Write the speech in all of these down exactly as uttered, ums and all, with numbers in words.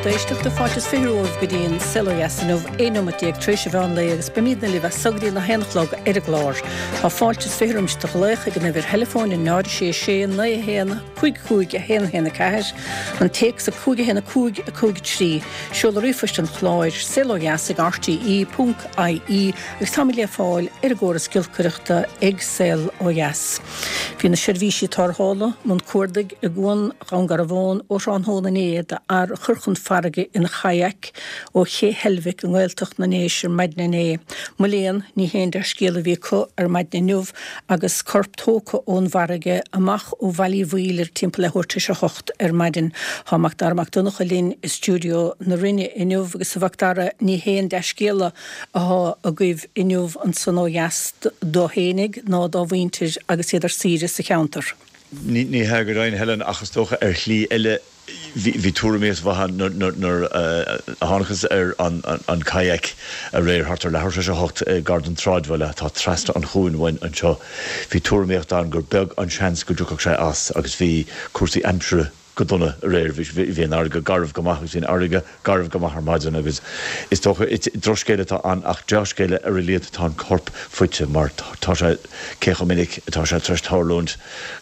Lucht éisteachta fáilte is fiche romhaibh go dtí an Saol Ó Dheas inniu aon nóiméad déag tar éis an mheán lae agus beimidne libh as so go dtí a haon a chlog ar an gclár. Tá fáilte is fiche roimis do ghlaoch ag an uimhir theileafóin a náid sé sé naoi haon cúig cúig a haon haon a ceathair, an téacs a cúig a haon a cúig a cúig trí, seoladh ríomhphoist an chláir saol ó dheas ag RTE ponc IE agus táimid le fáil ar an gcóras giolcaireachta ag Saol Ó Dheas. Bhí na seirbhísí tarrthála i mbun cuardaigh i gCuan Dhún Garbhán ó thráthnóna inné d'fhear a chuir chun farraige ina chayak ó Ché Heilbhic i nGaeltacht na nDéise ar maidin inné. Mo léan ní haon dea-scéal a bhí acu ar maidin inniu agus corp tógtha ón bhfarraige amach ó Bhaile Uí Bhaoill ar timpeall leathuair tar éis a hocht ar maidin. Tá Macdara Mac Donncha linn i stiúideo na Rinne inniu agus a Mhacdara ní haon dea-scéala atá agaibh inniu ansan ó dheas dó fhéinig ná dá mhuintir agus iad ar saoire sa cheantar. Ní ní hea go deimhin Helen ach is dócha ar shlí eile bhí tuairimíocht mhaith nuair a thángthas ar an kayak aréir thart ar leathuair tar éis a hocht gar don tsráidbhaile atá trasna an chuain uainn anseo. Bhí tuairimíocht ann gur beag an seans go dtiocfadh sé as agus bhí cúrsaí aimsire go dona aréir bhí an fharraige garbh go maith agus bhí an fharraige garbh go maith ar maidin agus is dócha drochscéal atá ann ach dea-scéal ar a laghad tá an corp faighte mar tá sé cé chomh minic atá sé tar éis tarlúint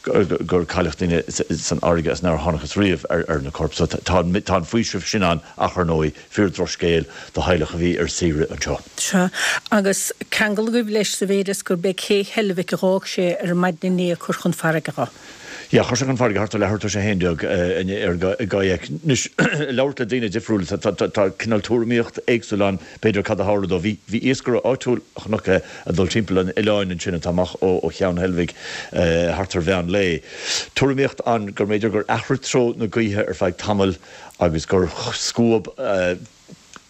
gur cailleadh daoine san fharraige is nár thángthas riamh ar ar na coirp so tá tá an faoiseamh sin ann ach ar ndóigh fíor-dhrochscéal do theaghlach a bhí ar saoire anseo. Sea agus ceangal agaibh leis sa mhéid is gurb é Cé Heilbhic a d'fhág sé ar maidin inné a chur chun farraige dho. Yeah, chuir sé chun farraige thart ar leathuair tar éis a haon déag ar gcayak. Anois labhairt le daoine difriúla tá cineál tuairimíocht éagsúil ann b'fhéidir cad a tharla dó. Bhí bhí iascaire áitiúil a chonac é ag dul timpeall an oileáin ansin atá amach ó ó Cheann Heilbhic thart ar mheán lae. Tuairimíocht ann gur mb'fhéidir gur athraigh treo na gaoithe ar feadh tamaill agus gur scuab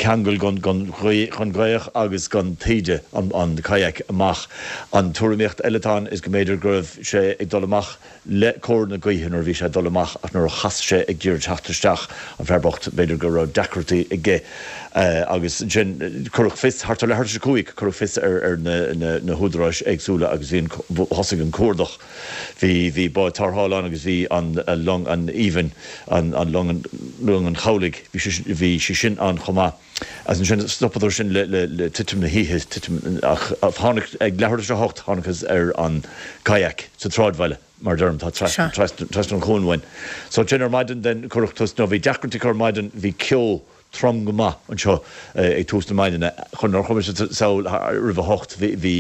ceangal gon gon gon ghaoth agus gon taoide an an kayak amach. An tuairimíocht eile atá ann is go mb'fhéidir go raibh sé ag dul amach le cóir na gaoithe nuair a bhí sé ag dul amach ach nuair a chas sé ag iarraidh teacht isteach an fear bocht b'fhéidir go raibh deacrachtaí aige agus ansin cuireadh fios thart ar leathuair tar éis a cúig cuireadh fios ar ar na na na húdaráis éagsúla agus bhí an thosaigh an cuardach. Bhí bhí bád tarrthála ann agus bhí an long an Aoibhinn an an long an long an chabhlaigh bhí sé bhí sé sin ann chomh maith. As ansin stopadar sin le le le titim na hoíche titim ach tháinig ag leathuair tar éis a hocht thángthas ar an kayak sa tsráidbhaile mar deirim tá trasna trasna an chuain uainn. So ansin ar maidin den cuireadh tús nó bhí deacrachtaí ar maidin bhí ceo trom go maith anseo ag tús na maidine chun nár chuir mise sall roimh a hocht bhí bhí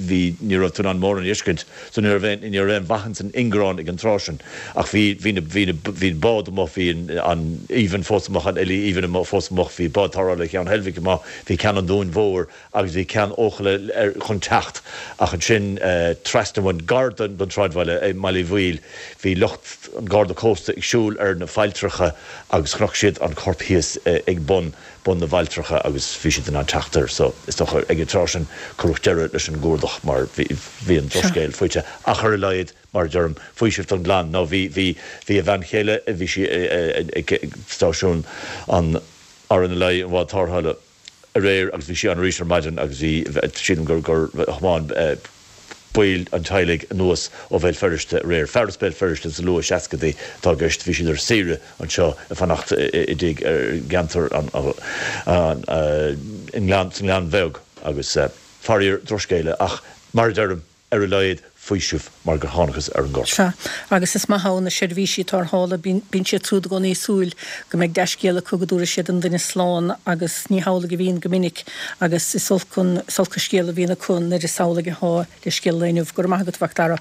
bhí ní raibh tú in ann mórán a fheiscint so ní raibh aon ní raibh aon mhaith ins an ingearán ag an tráth sin ach bhí bhí na bhí na bhí an bád amuigh bhí an an Aoibhinn fós amuigh an Ellie Aoibhinn amuigh fós amuigh bhí bád tarrthála Cheann Heilbhic amuigh bhí ceann an Dúin Mhóir agus bhí ceann Eochaille ar chun teacht ach ansin trasna uainn gar don don tsráidbhaile i mBaile Uí Bhaoill bhí lucht an Garda Cósta ag siúl ar na failltreacha agus chonaic siad an corp thíos ag bun bun na bhfailltreacha agus bhí siad in ann teacht air so is dócha ag an tráth sin cuireadh deireadh leis an gcuardach mar bhí bhí an drochscéal faighte ach ar a laghad mar a deirim faoiseamh don gclann nó bhí bhí bhí a bhean chéile bhí sí ag stáisiún an RNLI an bhád tarrthála aréir agus bhí sí ann arís ar maidin agus bhí sílim gur gur thiomáin baill an teaghlaigh anuas ó Bhéal Feirste aréir. Fear as Béal Feirste sa luath seascadaí atá i gceist, bhí siad ar saoire anseo ag fanacht i dtigh ar gceantar an an i nGleann sa nGleann Bheag agus faraor drochscéala ach mar a deirim ar a laghad faoiseamh mar gur thángthas ar an gcorp. Sea, agus is maith ann na seirbhísí tarrthála, bíonn siad siúd i gcónaí ag súil go mbeidh dea-scéal acu go dtabharfaidh siad an duine slán agus ní hamhlaidh a bhíonn go minic agus is olc an is olc an scéal a bhíonn acu nuair is amhlaidh atá le scéal an lae inniu. Go raibh maith agat a Mhac Dara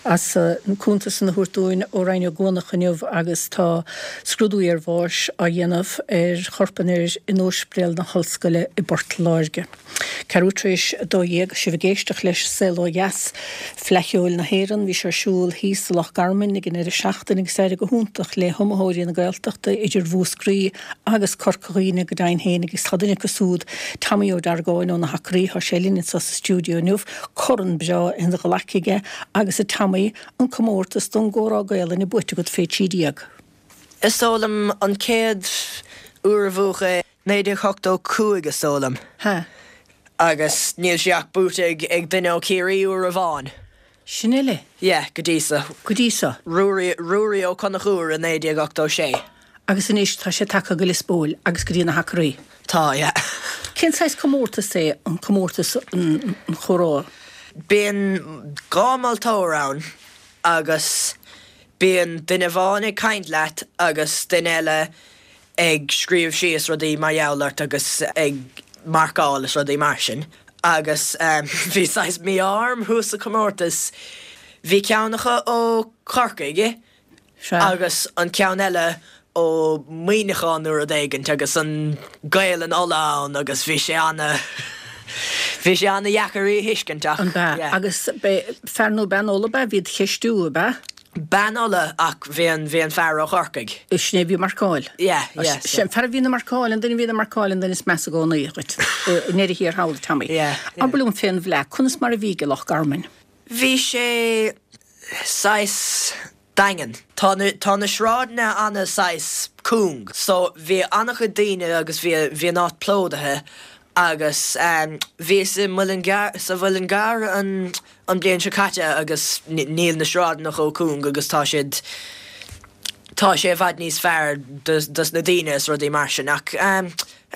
as an cuntas san a thabhairt dúinn ó Rinn Ó gCuanach inniu agus tá scrúdú iarbháis á dhéanamh ar chorp an fhir in Ospidéal na hOllscoile i bPort Láirge. Ceathrú tar éis a dó dhéag, sibh ag éisteacht leis Saol Ó Dheas, Fleadh Cheoil na hÉireann. Bhí sé ar siúl thíos i Loch Garman ag an deireadh seachtaine agus d'éirigh go hiontach le hiomaitheoirí na Gaeltachta idir Mhúscraí agus Corca Dhuibhne go deimhin féin agus tá duine acu siúd, Tommy Ó Deargáin ó na hAcraí, tá sé linn anseo sa stiúideo inniu, corn breá ina ghlac aige agus a Tommy, an comórtas don gcomhrá Gaelainne buaite agat fé trí déag. Is dóigh liom an chéad uair a bhuadh é naoi déag ochtó cúig is dóigh liom. Ha. Agus níl sé ach buaite ag ag duine ó Chiarraí uair amháin. Sin uile? Yeah, go dtí so. Go dtí so. Ruairí Ruairí Ó Conchúir i naoi déag ochtó sé. Agus anois tá sé tagtha go Lios Póil agus go dtí na hAcraí. Tá, yeah. Cén saghas comórtas é an comórtas an chomhrá? Bíonn dhá mholtóir ann agus bíonn duine amháin ag caint leat agus duine eile ag scríobh síos rudaí mar gheall ort agus ag marcáil is rudaí mar sin. Agus bhí saghas mí-ádh orm thuas sa chomórtas. Bhí ceann acu ó Chorcaigh agus an ceann eile ó Mhuineachán nó rud éigint agus an Ghaelainn Uladh ann agus bhí sé ana bhí sé ana dheacair í a thuiscint ach An b'ea? Agus fear nó bean Uladh ab ea a bhí id cheistiú, ab ea? Bean Uladh ach bhí an bhí an fear ó Chorcaigh. Sin é a bhí ag marcáil. Yeah, yeah. Sin an fear a bhíonn ag marcáil, an duine a bhíonn ag marcáil an duine is measa i gcónaí dhuit i ndeireadh thiar thall, Tommy. Yeah, yeah. Abair liom fén bhFleadh, conas mar a bhí i Loch Garman? Bhí sé saghas daingean. Tá na tá na sráideanna ana saghas cúng so bhí ana-chuid daoine agus bhí bhí an áit plódaithe agus bhíos i Muileann gCearr sa Mhuileann gCearr an an bhliain seo caite agus níl na sráideanna chomh cúng agus tá siad tá sé i bhfad níos fearr dos na daoine is rudaí mar sin ach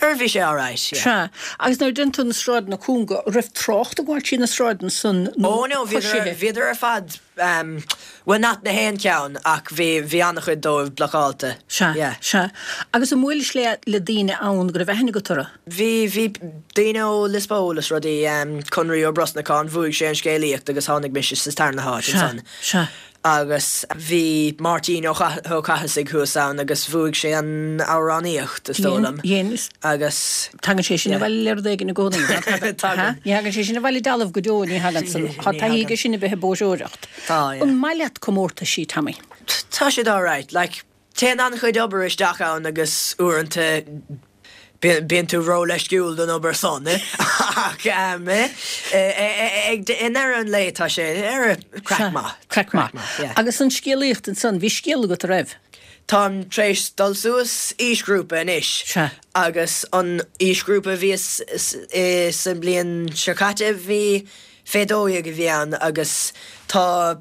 ar bhí sé alright, yeah. Sea, agus nuair a deireann tú na sráideanna cúnga, raibh trácht ag gabháil trí na sráideanna san nó Oh no, bhíodar, bhíodar ar fad, bhuel not na haon cheann ach bhí, bhí an-chuid dóibh blocáilte. Sea, yeah. Sea. Agus an mbuailis le, le daoine ann go raibh aithne agat orthu? Bhí, bhí daoine ó Lios Póil is rudaí, Conraí Ó Brosnacháin, bhuaigh sé an scéalaíocht agus tháinig mise sa tarna háit Sea, ansan. sea. Agus bhí Máirtín Ó Cathasaigh thuas ann agus bhuaigh sé an amhránaíocht, is dóigh liom. Dhein, Agus. Tagann sé sin abhaile le rud éigin i gcónaí, ná tagann? Tagann. Ní thagann sé sin abhaile dealbh go deo, ní thagann san. Tá taithí aige sin a bheith ag bóiseoireacht. Tá, yeah. An maith leat comórtaisí, Tommy? Tá siad alright. Like, téann an-chuid obair isteach ann agus uaireanta Bíonn tú ró-leisciúil don obair san ach i ndeireadh an lae tá sé ar craic maith. Craic maith. Agus an scéalaíocht ansan, bhí scéal agat, a raibh? Táim tar éis dul suas aoisghrúpa anois agus an aoisghrúpa a bhíos i sa mbliain seo caite bhí fé dó dhéag a bhí ann agus tá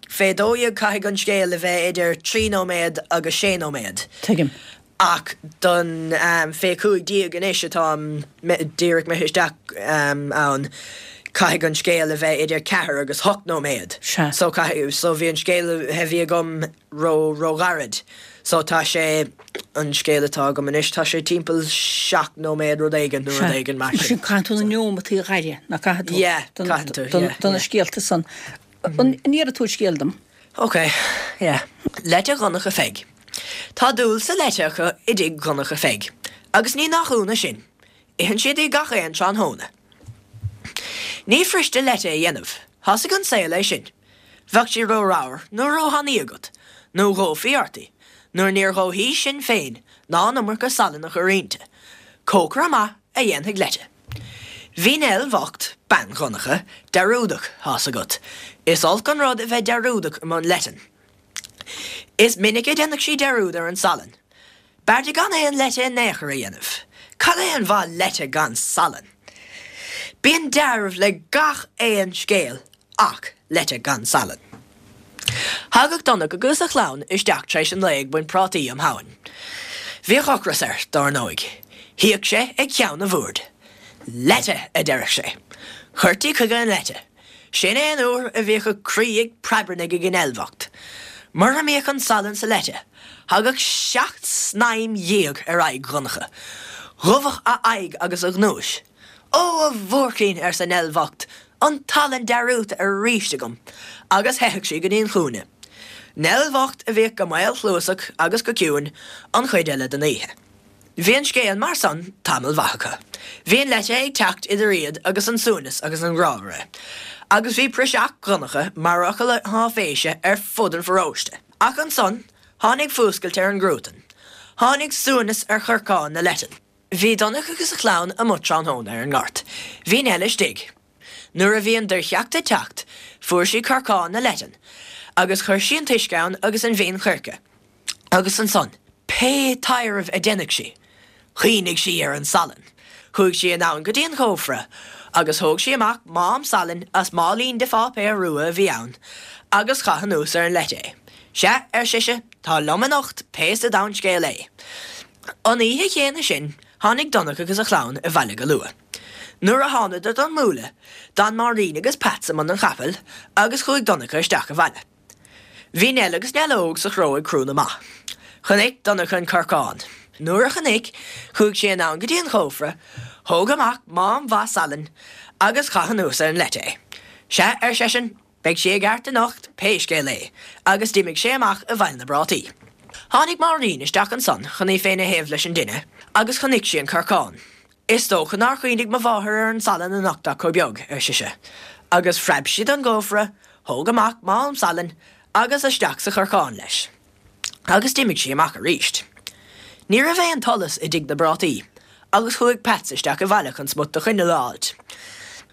Fé dó dhéag caithfidh an scéal a bheith idir trí nóiméad agus sé nóiméad. Tuigim. Ach don fé cúig déag anois atáim díreach imithe isteach ann, caithfidh an scéal a bheith idir ceathair agus hocht nóiméad. Sea. So caithfidh, so bhí an scéal a bhí agam ró, ró-ghairid. So tá sé, an scéal atá agam anois, tá sé timpeall seacht nóiméad rud éigin nó rud éigin mar sin. Sea. Caithfidh tú na neomataí a ghaire, nach gcaithfidh tú? Yeah, caithfidh tú, yeah, yeah. Do na scéalta san. An iarrfaidh tú scéal dom? Ok, yeah. Leite Dhonncha Pheig. Tá dúil sa leite acu i dtigh Dhonncha Pheig. Agus ní nach ionadh sin. Itheann siad í gach aon tráthnóna. Ní fuiriste leite a dhéanamh. Tá's ag an saol é sin. Bheadh sí ró-ramhar nó ró-thanaí agat, nó dhófaí ort í, nuair níor dhóthaí sin féin ná an iomarca salainn a chur inti. Cócaire maith a dhéanfaidh leite. Bhí Nell bhocht, bean Dhonncha, dearúdach, tá's agat. Is olc an rud a bheith dearúdach i mbun leitean. Is minic a dhéanadh sí dearúd ar an salann. B'fhearr di gan aon leite in aon chor a dhéanamh. Cad é an mhaith leite gan salann? Bíonn dealramh le gach aon scéal ach leite gan salann. Thagadh Donnchadh agus a chlann isteach tar éis an lae ag baint prátaí um Shamhain. Bhíodh ocras air, dár ndóigh. Shuíodh sé ag ceann an bhoird. Leite! a deireadh sé. Chuirtí chuige an leite. Sin é an uair a bhíodh a croí ag preabarnaigh ag Nell bhocht. Mura mbíodh an salann sa leite, thagadh seacht snaidhm dhéag ar aghaidh Dhonncha. Dhubhadh a aghaidh agus a ghnúis. Ó, a bhuaircín, arsa Nell bhocht, an salann dearúdta aríst agam! Agus theitheadh sí go dtí an chúinne. Nell bhocht a bhíodh go maolchluasach agus go ciúin an chuid eile den oíche. Bhí an scéal mar san tamall mhaith acu. Bhí an leite ag teacht idir iad agus an suaimhneas agus an ghrámhaire. Agus bhí praiseach Dhonncha mar fhocal áiféise ar fud an pharóiste. Ach ansan, tháinig fuascailt ar an gcruatan. Tháinig suaimhneas ar chorcán na leitean. Bhí Donncha agus a chlann amuigh tráthnóna ar an ngort. Bhí Nell istigh. Nuair a bhí an doircheacht ag teacht, fuair sí corcán na leitean, agus chuir sí an t-uisce ann agus an mhin choirce. Agus ansan, pé taidhreamh a deineadh sí, chuimhnigh sí ar an salann. Chuaigh sí anonn go dtí an cófra agus thóg sí amach mám salainn as máilín de pháipéar rua a bhí ann agus chaith anuas ar an leite é. Sea, ar sise, Tá liom anocht pé sa domhan scéal é. An oíche chéanna sin, tháinig Donncha agus a chlann abhaile go luath. Nuair a thánadar don mbuaile, d'fhan Máirín agus Peats i mbun an chapaill agus chuaigh Donncha isteach abhaile. Bhí Nell agus Nell Óg sa chró ag crú na mba. Chonaic Donncha an corcán. Nuair a chonaic, chuaigh sé anonn go dtí an cófra, thóg amach mám mhaith salainn agus chaith anuas ar an leite é. Sea, ar seisean, beidh sí i gceart anocht pé scéal é, agus d'imigh sé amach i bhfeighil na bprátaí. Tháinig Máirín isteach ansan chun í féin a théamh leis an dtine agus chonaic sí an corcán. Is dócha nár chuimhnigh mo mháthair ar an salann anocht ach chomh beag, ar sise, agus phreab sí don gcófra, thóg amach mám salainn agus isteach sa chorcán leis. Agus d'imigh sí amach arís. Ní raibh aon tsolas i dtigh na bprátaí, agus chuaigh Peats isteach abhaile chun smut de choinneal a fháilt.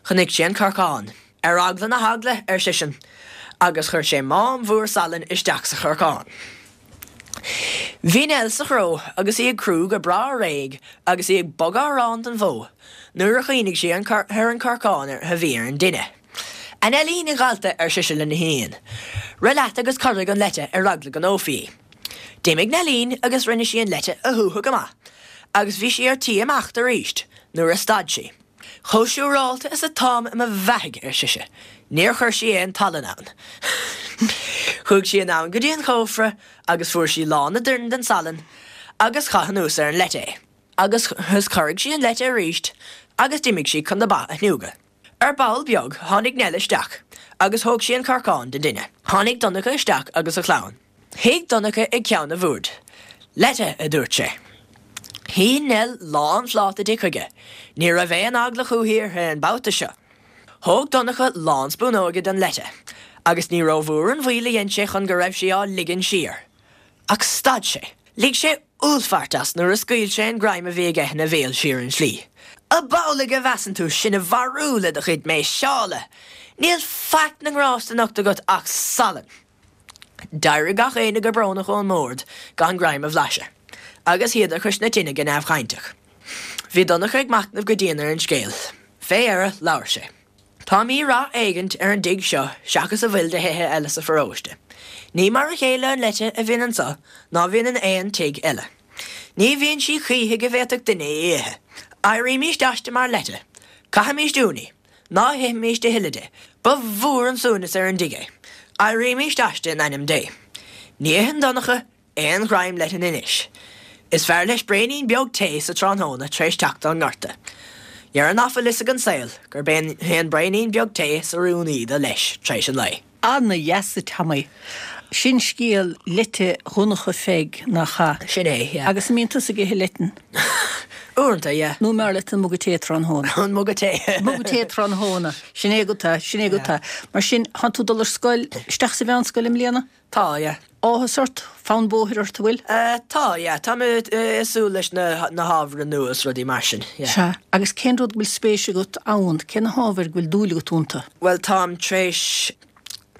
Chonaic sé an corcán. Ar eagla na heagla, ar seisean, agus chuir sé mám mhór salainn isteach sa chorcán. Bhí Nell sa chró agus í ag crú go breá réidh agus í ag bogadh aráin don bhó nuair a chuimhnigh sí ar an chorcán a bhí ar an dtine. A Neilín, a dhalta, ar sise lena hiníon, rith leat agus corraigh an leite ar eagla go ndófaí í. D'imigh Neilín agus rinne sí an leite a shúthadh go maith agus bhí sí ar tí imeacht arís nuair a stad sí. Chomh siúrálta is atáim i mo bheathaidh, ar sise, níor chuir sí aon tsalann ann. Chuaigh sí anonn go dtí an cófra agus fuair sí lán a doirn den salann agus chaith anuas ar an leite é. Agus chorraigh sí an leite arís agus d'imigh sí chun na ba a shniúgadh. Ar ball beag tháinig Nell isteach agus thóg sí an corcán den dtine. Tháinig Donncha isteach agus a chlann. Shuigh Donncha ag ceann an bhoird. Leite, a dúirt sé. Shín Nell lánphláta di chuige. Ní raibh aon eagla chúithi uirthi an babhta seo. Thóg Donncha lán spúnóige den leite, agus ní rómhór an mhoill a dhein sé chun go raibh sí á ligean siar. Ach stad sé. Lig sé uallfairt as nuair a scaoil sé an greim a bhí aige ina bhéal siar an tslí. Ab amhlaidh a mheasann tú sinn a mharú le do chuid méiseála! Níl faic na ngrást anocht agat ach salann! D'éirigh gach éinne go brónach ón mbord gan greim a bhlaiseadh, agus shuíodar cois na tine go neamhchainteach. Bhí Donncha ag machnamh go dian ar an scéal. Fé dheireadh, labhair sé. Tá mí-rath éigint ar an dtigh seo seachas a bhfuil de thithe eile sa pharóiste. Ní mar a chéile an leite a bhíonn anso ná bhíonn in aon tigh eile. Ní bhíonn sí choíche go bhféadfadh duine í a ithe. Éirímíst aisti mar leite. Caithimíst uainn í. Ná hithimíst a thuilleadh di. Ba mhór an suaimhneas ar an dtigh é. Éirímíst aisti in ainm Dé. Ní itheann Donncha aon ghreim leitean anois. Is fearr leis braoinín beag tae sa tráthnóna tar éis teacht ón ngorta. Dhera ná fuil fhios ag an saol gurb é an braoinín beag tae is oiriúnaí do leis tar éis an lae. Ana-dheas, a Tommy. Sin scéal leite Dhonncha Pheig, nach ea? Sin é, yeah. Agus an mbíonn tusa ag ithe leitean? Uaireanta, yeah. Nó an mb'fhearr leat an muga tae tráthnóna? An muga tae. Muga tae tráthnóna. Sin é agat é, sin é agat é. Mar sin, thánn tú ag dul ar scoil, isteach sa mheánscoil i mbliana? Tá, yeah. Áthas ort? Fonn bóthair ort, an bhfuil? Tá, yeah. Tá mé ag súil leis na na hábhair nua is rudaí mar sin, yeah. Sea. Agus cén rud go bhfuil spéis agat ann? Cé na hábhair go bhfuil dúil agat iontu? Bhuel, táim tar éis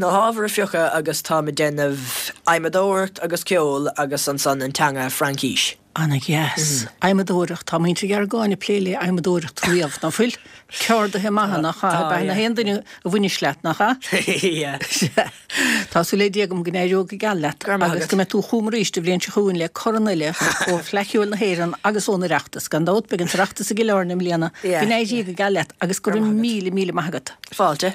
na hábhair a phiocadh agus táim ag déanamh adhmadóireacht agus ceol agus ansan an teanga Fraincís. Ana-dheas. Adhmadóireacht, tá muintir Gheargáin ag plé le adhmadóireacht riamh, ná fuil? Ceardaithe maithe, nach ea? Tá, Ab ea na yeah. haon duine a bhainis leat, nach ea? Yeah. Sea. Tá súil le Dia agam go n-éireoidh go geal leat Go raibh maith agus agat. go mbeidh tú chugam arís an bhliain seo chugainn le corn eile ó Fhleadh Cheoil na hÉireann agus ón Oireachtas. Gan dabht, beidh an tOireachtas i gCill Airne i mbliana. Yeah. Go n-éirí go geal leat agus go Go raibh raibh maith agat. míle, míle maith agat. Fáilte.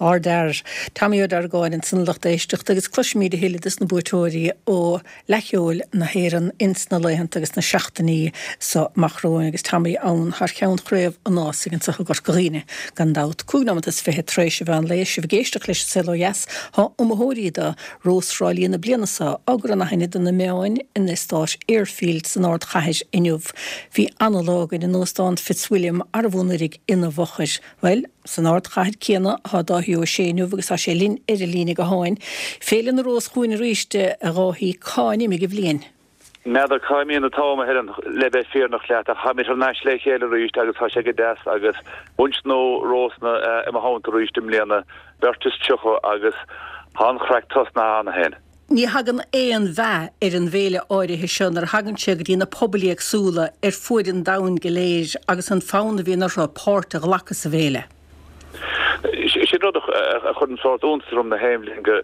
Ár bhfear, Tommy Ó Deargáin ansan a lucht éisteachta agus cloisfimid a thuilleadh dos na buaiteoirí ó Fhleadh Cheoil na hÉireann ins na laethanta agus na seachtainí so amach romhainn agus Tommy ann thar cheann Chraobh an Ásaigh anso i gCorca Dhuibhne gan dabht. Cúig nóimeat is fiche tar éis an mheán lae, sibh ag éisteacht leis an Saol Ó Dheas, thá iomaitheoirí do Rós Thrá Lí na bliana so á gcur in aithne do na meáin in eastát Airfield san ardchathair inniu. Bhí ana-lá againn in Óstán Fitzwilliam arbh anuraidh ina bhfochair. Bhuel, san ardchathair céanna atá Dáithí Ó Sé inniu agus tá sé linn ar an líne gutháin. Féile na Rós chugainn arís, a Dháithí, cá n-imigh an bhliain? N'fheadar cá imíonn an t-am, a Helen, le bheith fírinneach leat, ach táimid thar n-ais le chéile arís agus tá sé go deas agus bunch nua rósanna i mo theannta arís i mbliana, beirt is tríocha agus tá an chraic tosnaithe cheana féin. Ní thagann aon mheath ar an bhféile áirithe seo nuair a thagann sé go dtí na pobail éagsúla ar fuaid an domhain go léir agus an fonn a bhíonn orthu páirt a ghlacadh sa bhféile. Sin rud a chuireann sórt iontas orm na haon bhliain go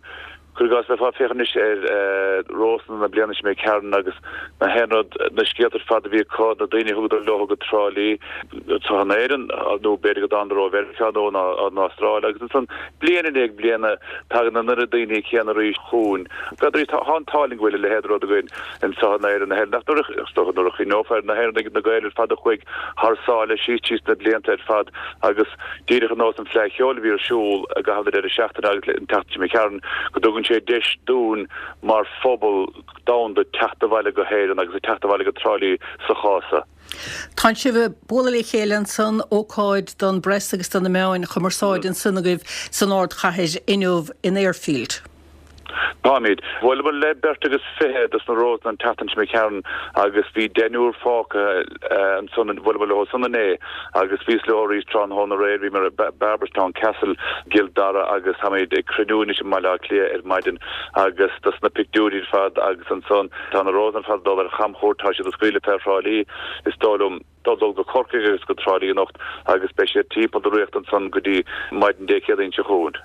Cuir i gcás, bheifeá ag féachaint anois ar Rósanna na bliana seo imigh tharainn agus na haon rud, na scéalta ar fad a bhí acu, na daoine a thugadar leo go Trá Lí, anseo in Éirinn nó b'fhéidir go dtánadar ó Mheiriceá nó ón Astráil agus ansan bliain i ndiaidh bliana tagann an oiread daoine céanna arís chugainn. B'fhéidir tá an t-ádh linn go bhfuil a leithéid de rud againn anseo in Éirinn a Helen ach nuair a, is dócha nuair a chuimhneofar ar na hÉireannaigh, na Gaeil ar fad a chuaigh thar sáile síos tríd na blianta ar fad agus díreach ar nós an Fleadh Cheoil a bhí ar siúl i gcaitheamh na deireadh seachtaine agus an tseachtain seo imigh tharainn, go dtugann sé deis dúinn mar phobal domhanda teacht abhaile go hÉirinn agus teacht abhaile go Trá Lí sa chás seo. Tánn sibh ag bualadh le chéile ansan, ócáid don bpress agus do na meáin chumarsáide ansan agaibh san ardchathair inniu in Airfield. Táimid. Bhuaileamar le beirt agus fiche dos na Rósanna an tseachtain seo imigh tharainn agus bhí deichniúr fágtha ansan, bhuaileamar leo san inné agus bhíos leo arís tráthnóna aréir, bhíomar i Barberstown Castle i gCill Dara agus táimid ag cruinniú anois i mBaile Átha Cliath ar maidin agus dos na pictiúirí ar fad agus ansan tá na Rósanna ar fad ag dul ar chamchuairt, tá siad ag scaoileadh fé Thrá Lí is dóigh liom. dul go Corcaigh agus go Trá Lí anocht agus beidh siad timpeall na ríochta ansan go dtí maidin Dé Céadaoin seo chugainn.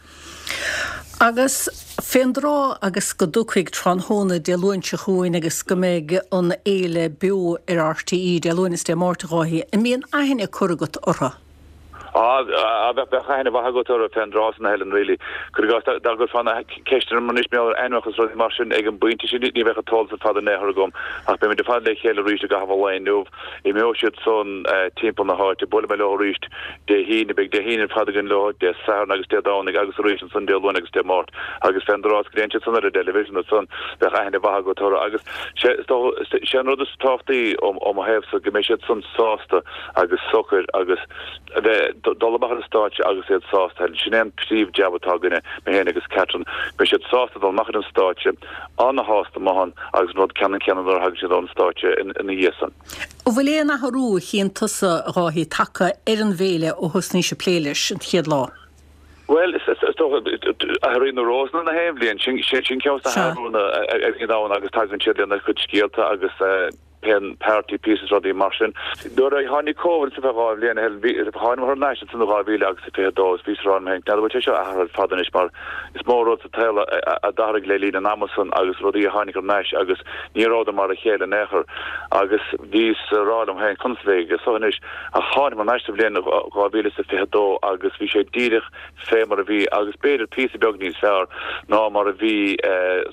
Agus fén dtráth agus go dtiocfaidh tráthnóna Dé Luain seo chugainn agus go mbeidh an fhéile beo ar RTÉ Dé Luain is Dé Máirt a Dháithí, an mbíonn aithne curtha agat orthu? Á, bheadh aithne mhaith agat orthu fén dtráth san, a Helen, really. Cuir i gcás, dá gcuirfeá na ceisteanna orm anois mar gheall ar ainmneacha is rudaí mar sin ag an bpointe sin, ní bheadh an t-eolas ar fad in aon chor agam. Ach beimid ar fad le chéile arís i gcaitheamh an lae inniu. Imeoidh siad san timpeall na háite. Buailfidh mé leo arís Dé hAoine. Beidh Dé haoine ar fad againn leo, Dé Sathairn agus Dé Domhnaigh agus arís ansan Dé Luain agus Dé Máirt. Agus fén dtráth is go dtéann siad san ar an dteilifísean ansan, bheadh aithne mhaith agat orthu. Agus sé an rud is tábhachtaí ó mo thaobhsa go mbeidh siad san sásta agus socair agus a bheith, dul amach ar an stáitse agus iad sásta. Sin é an príomh-jab atá againne, mé féin agus Catherine, go mbeidh siad sásta dul amach ar an stáitse, ana-shásta amuigh ann agus an rud ceannann céanna nuair a thagann siad ón stáitse ina dhiaidh san. An bhfuil aon athrú a chíonn tusa, a Dháithí, tagtha ar an bhféile ó thosnaís ag plé leis an chéad lá? Bhuel, is dócha, athraíonn na Rósanna na haon bhliain, sin ceann de na hathrúanna a bhíonn ann agus tagann siad lena gcuid scéalta agus pé party pieces rudaí mar sin. Nuair a tháinig Covid ansan fé dhá bhliain ó shin, bhí, thánamar thar n-ais ansan in dhá mhíle agus a fiche a dó is bhíos ag rá liom féin, n'fheadar an bhfuil sé seo athraithe ar fad anois mar is mó rud sa tsaol a d'athraigh le linn an ama san agus rudaí a tháinig thar n-ais agus ní rabhadar mar a chéile in aon chor agus bhíos ag rá liom féin conas a bheidh sé seo anois ach thánamar thar n-ais sa bhliain dhá mhíle is a fiche a dó agus bhí sé díreach fé mar a bhí agus b'fhéidir píosa beag níos fearr ná mar a bhí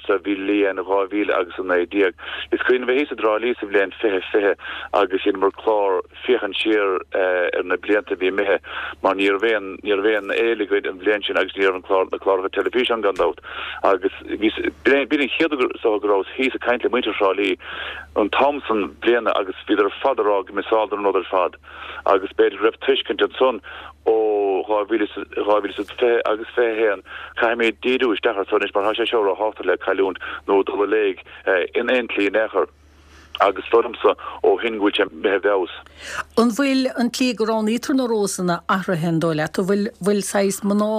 sa bhliain dhá mhíle agus a naoi déag. Is cuimhin liom bheith thíos i dTrá Lí sa bhliain fiche fiche agus dheineamar clár féachaint siar ar na blianta a bhí imithe mar ní raibh aon ní raibh aon fhéile againn an bhliain sin agus ní raibh an clár na cláracha teilifíse ann gan dabht agus bhí b'in an chéad uair is dócha go rabhas thíos ag caint le muintir Thrá Lí an t-am san bliana agus bhíodar ar fad ag rá go miseáladar an rud ar fad agus b'fhéidir go raibh tuiscint ansan ó dhá mhíle dhá mhíle is a fiche agus fiche a haon caithfimid díriú isteach air so anois mar tá sé seo róthábhachtach le cailliúint nó dul i léig in aon tslí in aon chor agus is dóigh liomsa ó shin go bhfuil sé imithe i bhfeabhas. An bhfuil an tslí go roghnaítear na Rósanna athraithe an dóigh leat? An bhfuil bhfuil saghas mná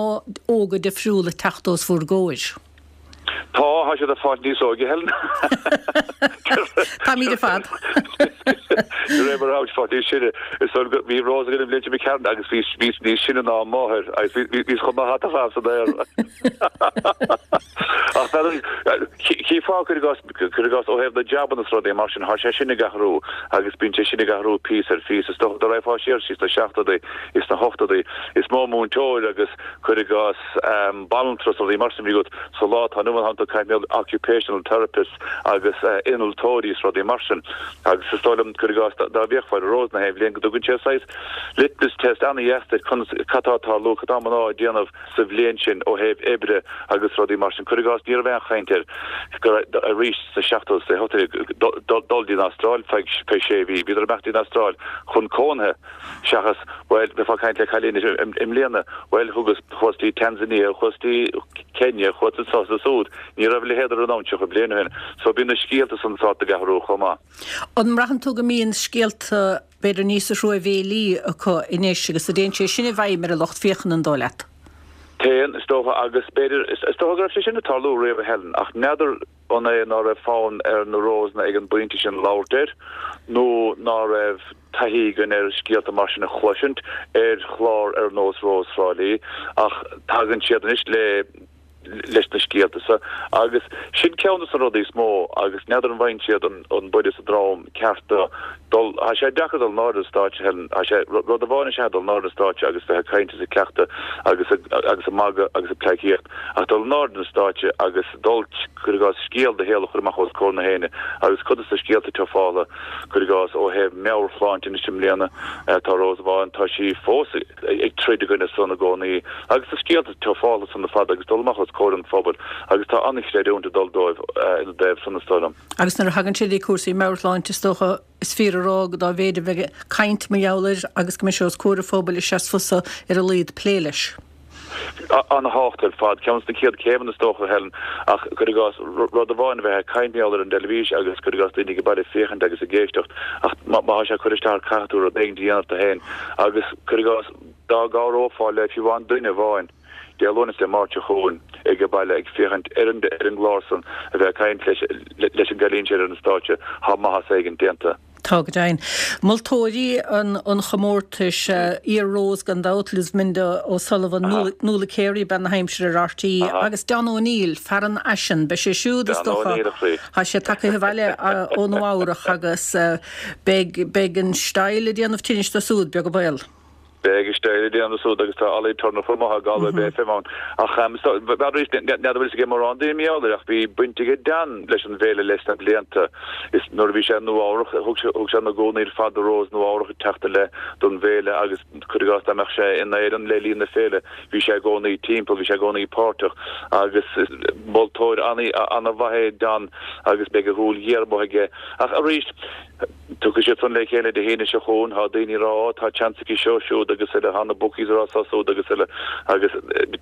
óga difriúla ag teacht os bhur gcomhair? Tá, tá siad ag fáil níos óige, Helen. Táimid ar fad. De réir mar a tháimid ag fáil níos sine. Is dóigh go bhí Rós againn an bhliain seo imigh tharainn agus bhí bhí níos sine ná a máthair agus bhí bhí chomh maith ata fad san aer. Ach chífeá cuir i gcás cuir i gcás ó thaobh na jabanna is rudaí mar sin, tá sé sin ag athrú agus bíonn sé sin ag athrú píosa ar phíosa. Is dócha dá raghfá siar síos sna seachtóidí is sna hochtóidí is mó múinteoir agus cuir i gcás banaltra is rudaí mar sin a bhí agat sa lá atá inniu ann, tá tú ag caint occupational therapists agus innealtóirí is rudaí mar sin agus is dóigh liom, cuir i gcás, dá bhféachfá ar Rósanna na haon bhliain go dtugann sé saghas litmus test an-dheas duit conas, cad tá ag tarlú, cad tá mná ag déanamh sa bhliain sin ó thaobh oibre agus rudaí mar sin. Cuir i gcás, ní raibh aon chaint air go raibh, arís sna seachtóidí is sna hochtóidí, dul dtí an Astráil feadh sé mhí. Bhíodar ag imeacht dtí an Astráil chun cónaithe. Seachas, bhuel, bheifeá ag caint le cailín i mbliana, bhuel, thugas, chuas dtí Tanzania, chuas dtí Kenya, chuas anso is ansúd. Ní raibh a leithéid ar an domhan tríocha bliain ó shin. So bíonn na scéalta san sáite ag athrú chomh maith. An mbraitheann tú go mbíonn scéalta b'fhéidir níos truamhéilí acu anois agus an dtéann sé sin i bhfeidhm ar an lucht féachana, an dóigh leat? Téann, is dócha, agus b'fhéidir, is dócha go raibh sé sin ag tarlú riamh, a Helen, ach n'fheadar an é ná raibh fonn ar na Rósanna ag an bpointe sin labhairt air nó ná raibh taithí againn ar scéalta mar sin a chloisint ar chlár ar nós Rós Thrá Lí ach tagann siad anois le leis na scéalta so agus sin ceann de na rudaí is mó agus n'fheadar an bhfaigheann siad an an buille sa drom ceart do dul tá sé deacair dul in airde ar stáitse Helen tá sé rud amháin is ea dul in airde ar stáitse agus bheith ag caint is ag cleachtadh agus agus ag magadh agus ag pleidhcíocht ach dul in airde ar stáitse agus dul cuir i gcás scéal do shaoil a chur amach os comhair na héinne agus cuid de na scéalta atá fála cuir i gcás ó thaobh meabhairshláinte anois i mbliana tá Rose amháin tá sí fós ag troid i gcoinne san i gcónaí agus na scéalta atá fála san ar fad agus dul amach os comhair an phobail agus tá an-chreidiúint ag dul dóibh ina dtaobh san is dóigh liom. Agus nuair a thagann sé le cúrsaí meabhairshláinte is dócha is fíor a rá go dá mhéid a bheidh caint mar gheall air agus go mbeidh sé os comhair an phobail is ea is fusa ar a laghad plé leis. An-thábhachtach ar fad. Ceann de na chéad chéimeanna is dócha, Helen, ach cuir i gcás, rud amháin a bheith ag caint mar gheall air ar an dteilifís agus cuir i gcás daoine ag baile ag féachaint agus ag éisteacht ach má tá sé curtha isteach caithfidh tú rud éigin a dhéanamh tú féin agus cuir i gcás dá gcabhrófá le fiú amháin duine amháin Dé Luain is Dé Máirt seo chugainn ag baile ag féachaint ar an ar an gclár san a bheith ag caint leis leis an gcailín sin ar an stáitse tá maitheas éigin déanta. Tá go deimhin. Moltóirí an chomórtais, iar-Rose gan dabht, Luzviminda O'Sullivan, Nuala Carey, bean na haimsire ar RTÉ, agus Don O'Neill, fear an fhaisin. Beidh sé siúd, is dócha, tá sé tagtha abhaile ó Nua Eabhrach agus beidh beidh an style ag déanamh tinnis dó siúd, beag an baol. Beidh an style ag déanamh súd agus tá Ollie Turner chomh maith ag Galway Bay FM ann. Ach arís, n'fheadar an bhfuil fhios ag mórán daoine mar gheall air ach bhí baint aige Dan leis an bhféile leis na blianta. Is nuair a bhí sé i Nua Eabhrach, thug sé thug sé na gúnaí ar fad do Rose Nua Eabhrach ag teacht i leith don bhféile agus cuir i gcás dá mbeadh sé in Éirinn le linn na féile, bhí sé i gcónaí timpeall, bhí sé i gcónaí páirteach agus is moltóir an-mhaith é Dan agus beidh a shúil ghéar amuigh aige. Ach arís, Tiocfaidh siad san le chéile Dé hAoine seo chugainn. Tá daoine ag rá, Ó, tá seans aici seo, siúd agus eile, tá na bookies ag rá seo, súd agus eile. Agus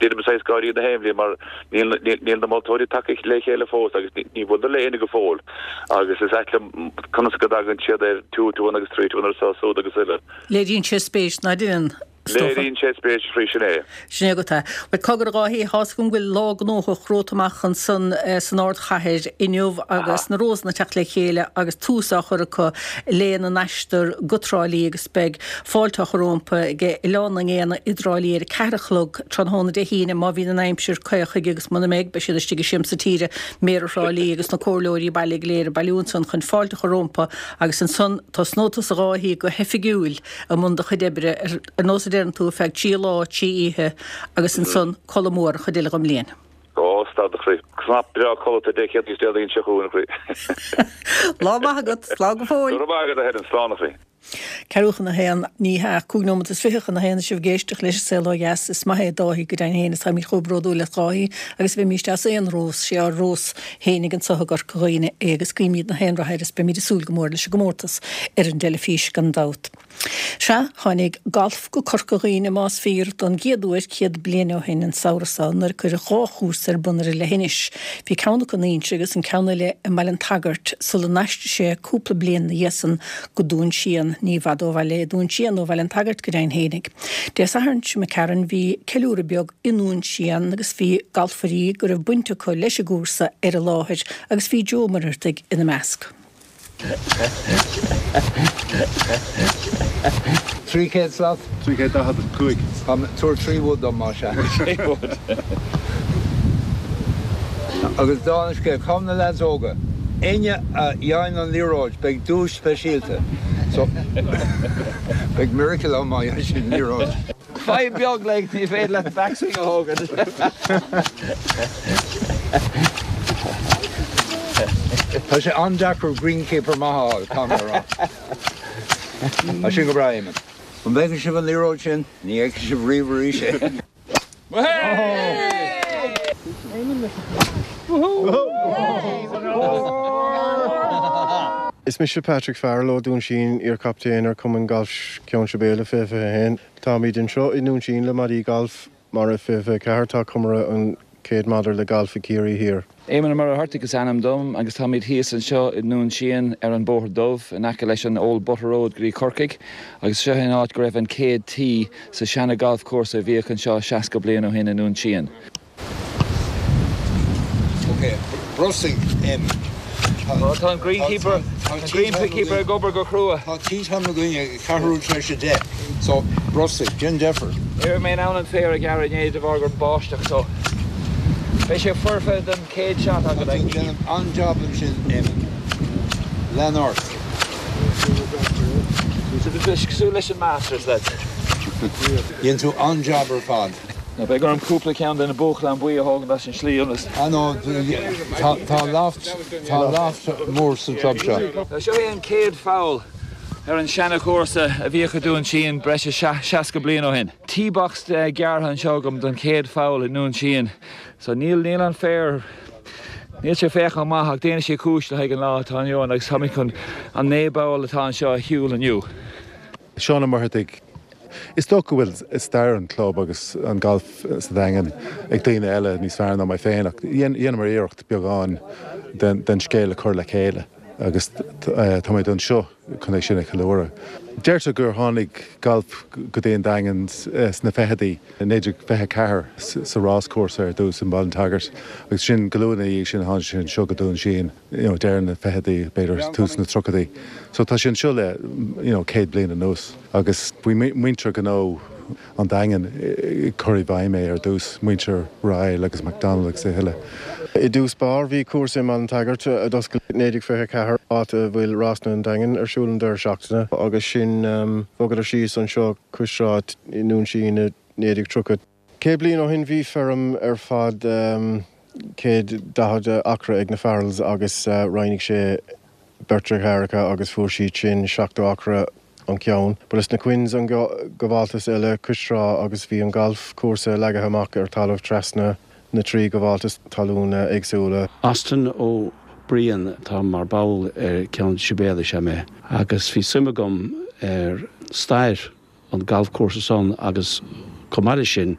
déanaim saghas gáirí na haon bhliain mar níl, níl na moltóirí tagtha le chéile fós agus ní bhfuileadar le éinne go fóill. Agus is ait liom conas go dtagann siad ar two to one agus three to one ar seo, súd agus eile. Léiríonn sé spéis, ná déan? is dócha. Léiríonn sé spéis faoi sin é. Sin é agat é. Bhuel, cogar a Dháithí, tá's agam go bhfuil lá gnóthach romhat amach ansan san ardchathair inniu agus na Rósanna ag teacht le chéile agus tús á chur acu lena n-aistear go Trá Lí agus beidh fáilte á chur rompu ag Oileán na nGéanna i dTrá Lí ar a ceathair a chlog tráthnóna Dé hAoine má bhíonn an aimsir caoch chuige agus muna mbeidh beidh siad istigh i Siamsa Tíre, Méara Thrá Lí agus na comhairleoirí baile go léir ag bailiú ansan chun fáilte a chur rompu agus ansan tosnóidh tusa a Dháithí go hoifigiúil i mbun do chuid oibre ar nós a deireann tú, ar feadh trí lá, trí oíche agus ansan codladh mór an chuid eile den mbliain. Ó, stad a chroí. Cnap breá codlata Dé Céadaoin is Déardaoin seo chugainn, a chroí. Lá maith agat. Slán go fóill. Go raibh maith agat, a Helen. Slán, a chroí. Ceathrú chun a haon, ní hea, cúig nóiméad is fiche chun a haon is sibh ag éisteacht leis an Saol Ó Dheas. Is maith é Dáithí go deimhin féin is táimid chomh bródúil as Dáithí agus a bheimíst as aon rós, sé ár rós fhéinig anso i gCorca Dhuibhne é agus guímid na haon rath air is beimid ag súil go mór leis an gcomórtas ar an dteilifís gan dabht. Sea, tháinig galf go Corca Dhuibhne, más fíor, don gcéad uair céad bliain ó shin an samhradh seo nuair a cuireadh dhá chúrsa ar bun ar an leithinis. Bhí ceann acu in Inse agus an ceann eile i mBaile an tSagairt sula n-aistrigh sé cúpla bliain ina dhiaidh san go Dún Síon. Ní i bhfad ó bhaile é Dún Síon ó Bhaile an tSagairt go deimhin fhéinig. Dé Sathairn seo imigh tharainn bhí ceiliúradh beag i nDún Síon agus bhí galfairí go raibh baint acu leis an gcúrsa ar an láthair agus bhí Joe Ó Muircheartaigh ina measc. Trí chéad slat? Trí chéad daichead a cúig. Tabhair trí wood dom, más ea. Trí wood. Agus dála an scéil, cá bhfuil na leaids óga? Éinne a fhaigheann an liathróid, beidh duais speisialta. So, beidh miracle ann má fhaigheann siad an liathróid. Fadhb beag like ní féidir leat backswing a thógaint. Tá sé an-deacair greenkeeper maith a fháil, caithfidh mé a rá. Tá sin go breá, Éamonn. An bhfeiceann sibh an liathróid sin? Ní fheicfidh sibh riamh arís é. Is mise Patrick Farrell ó Dún Síon, iar-chaptaen ar Chumann Gailf Cheann Sibéala fiche fiche a haon. Táimid anseo i nDún Síon le Maidí Gailf Mara fiche fiche a ceathair. Tá comóradh an chéad maidir le galf i gCiarraí Thiar. Éamonn Ó Muircheartaigh is ainm dom agus táimid thíos anseo i nDún Síon ar an Bóthar Dubh in aice leis an Old Butter Road go dtí Corcaigh agus seo é an áit go raibh an chéad tee sa seana galf cúrsa a bhíodh anseo seasca bliain ó shin i nDún Síon. Ok, brostaigh, Éamonn. Tá an greenkeeper, an greenkeeper ag obair go crua. Tá tee time againn ag ceathrú tar éis a deich, so brostaigh, déan deifir. Ní raibh mé in ann an féar a ghearradh inné de bharr gur báisteach so Beidh sé foirfe don chéad shot agat. Tá tú ag déanamh an-jab ansin, Éamonn. Lean ort. Cosúil leis an Masters, lads. Dhein tú an-jab ar fad. Now beidh orm cúpla ceann de na buachalláin buí a thógaint as an slí ionas. Ah no, tá loft, tá loft mór sa club seo. Seo é an chéad pholl ar an seana-chúrsa a bhíodh i Dún Síon breis is seasca bliain ó shin. Tee box gearrtha anseo agam don chéad pholl i nDún Síon. So níl níl an féar níl sé féachán maith ach déanfaidh sé cúis le haghaidh an lá atá inniu ann agus táimid chun an naoi bpoll atá anseo a shiúl inniu. Seán Ó Muircheartaigh, Is dócha go bhfuil stair an chlub agus an galf sa Daingean ag daoine eile níos fearr ná mé féin ach dheineamar iarracht beagán den scéal a chur le chéile agus táimid anseo chun é sin a cheiliúradh. Deirtear gur tháinig galf go dtí an Daingean sna fichidí, naoi déag fiche a ceathair sa ráschúrsa ar dtús i mBaile an tSagairt agus sin go luath ina dhiaidh sin tháinig sé anseo go Dún Síon, you know, deireadh na fichidí, b'fhéidir tús na tríochaidí. So tá sé anseo le, you know, céad bliain anuas agus bhí muintir gnó an Daingin ag cur i bhfeidhm é ar dtús, muintir Ryle agus McDonald agus a thuilleadh. I dtús báire bhí cúrsa i mBaile an tSagairt a d'oscail i naoi déag fiche a ceathair, áit a bhfuil Rásanna an Daingin ar siúl an deireadh seachtaine, agus sin bhogadar síos anseo cois trá i nDún Síon i naoi déag tríocha. Céad bliain ó shin bhí feirm ar fad céad daichead acra ag na Farrells agus roinnigh sé beirt deartháireacha agus fuair siad sin seachtó acra an ceann. Ba leis na Quinns an gabháltas eile cois trá agus bhí an galf cúrsa leagtha amach ar talamh trasna na trí ghabháltas talún éagsúla. Austin Ó Briain atá mar ball ar Ceann Sibéal is ea mé agus bhí suim agam ar stair an galfchúrsa san agus chomh maith leis sin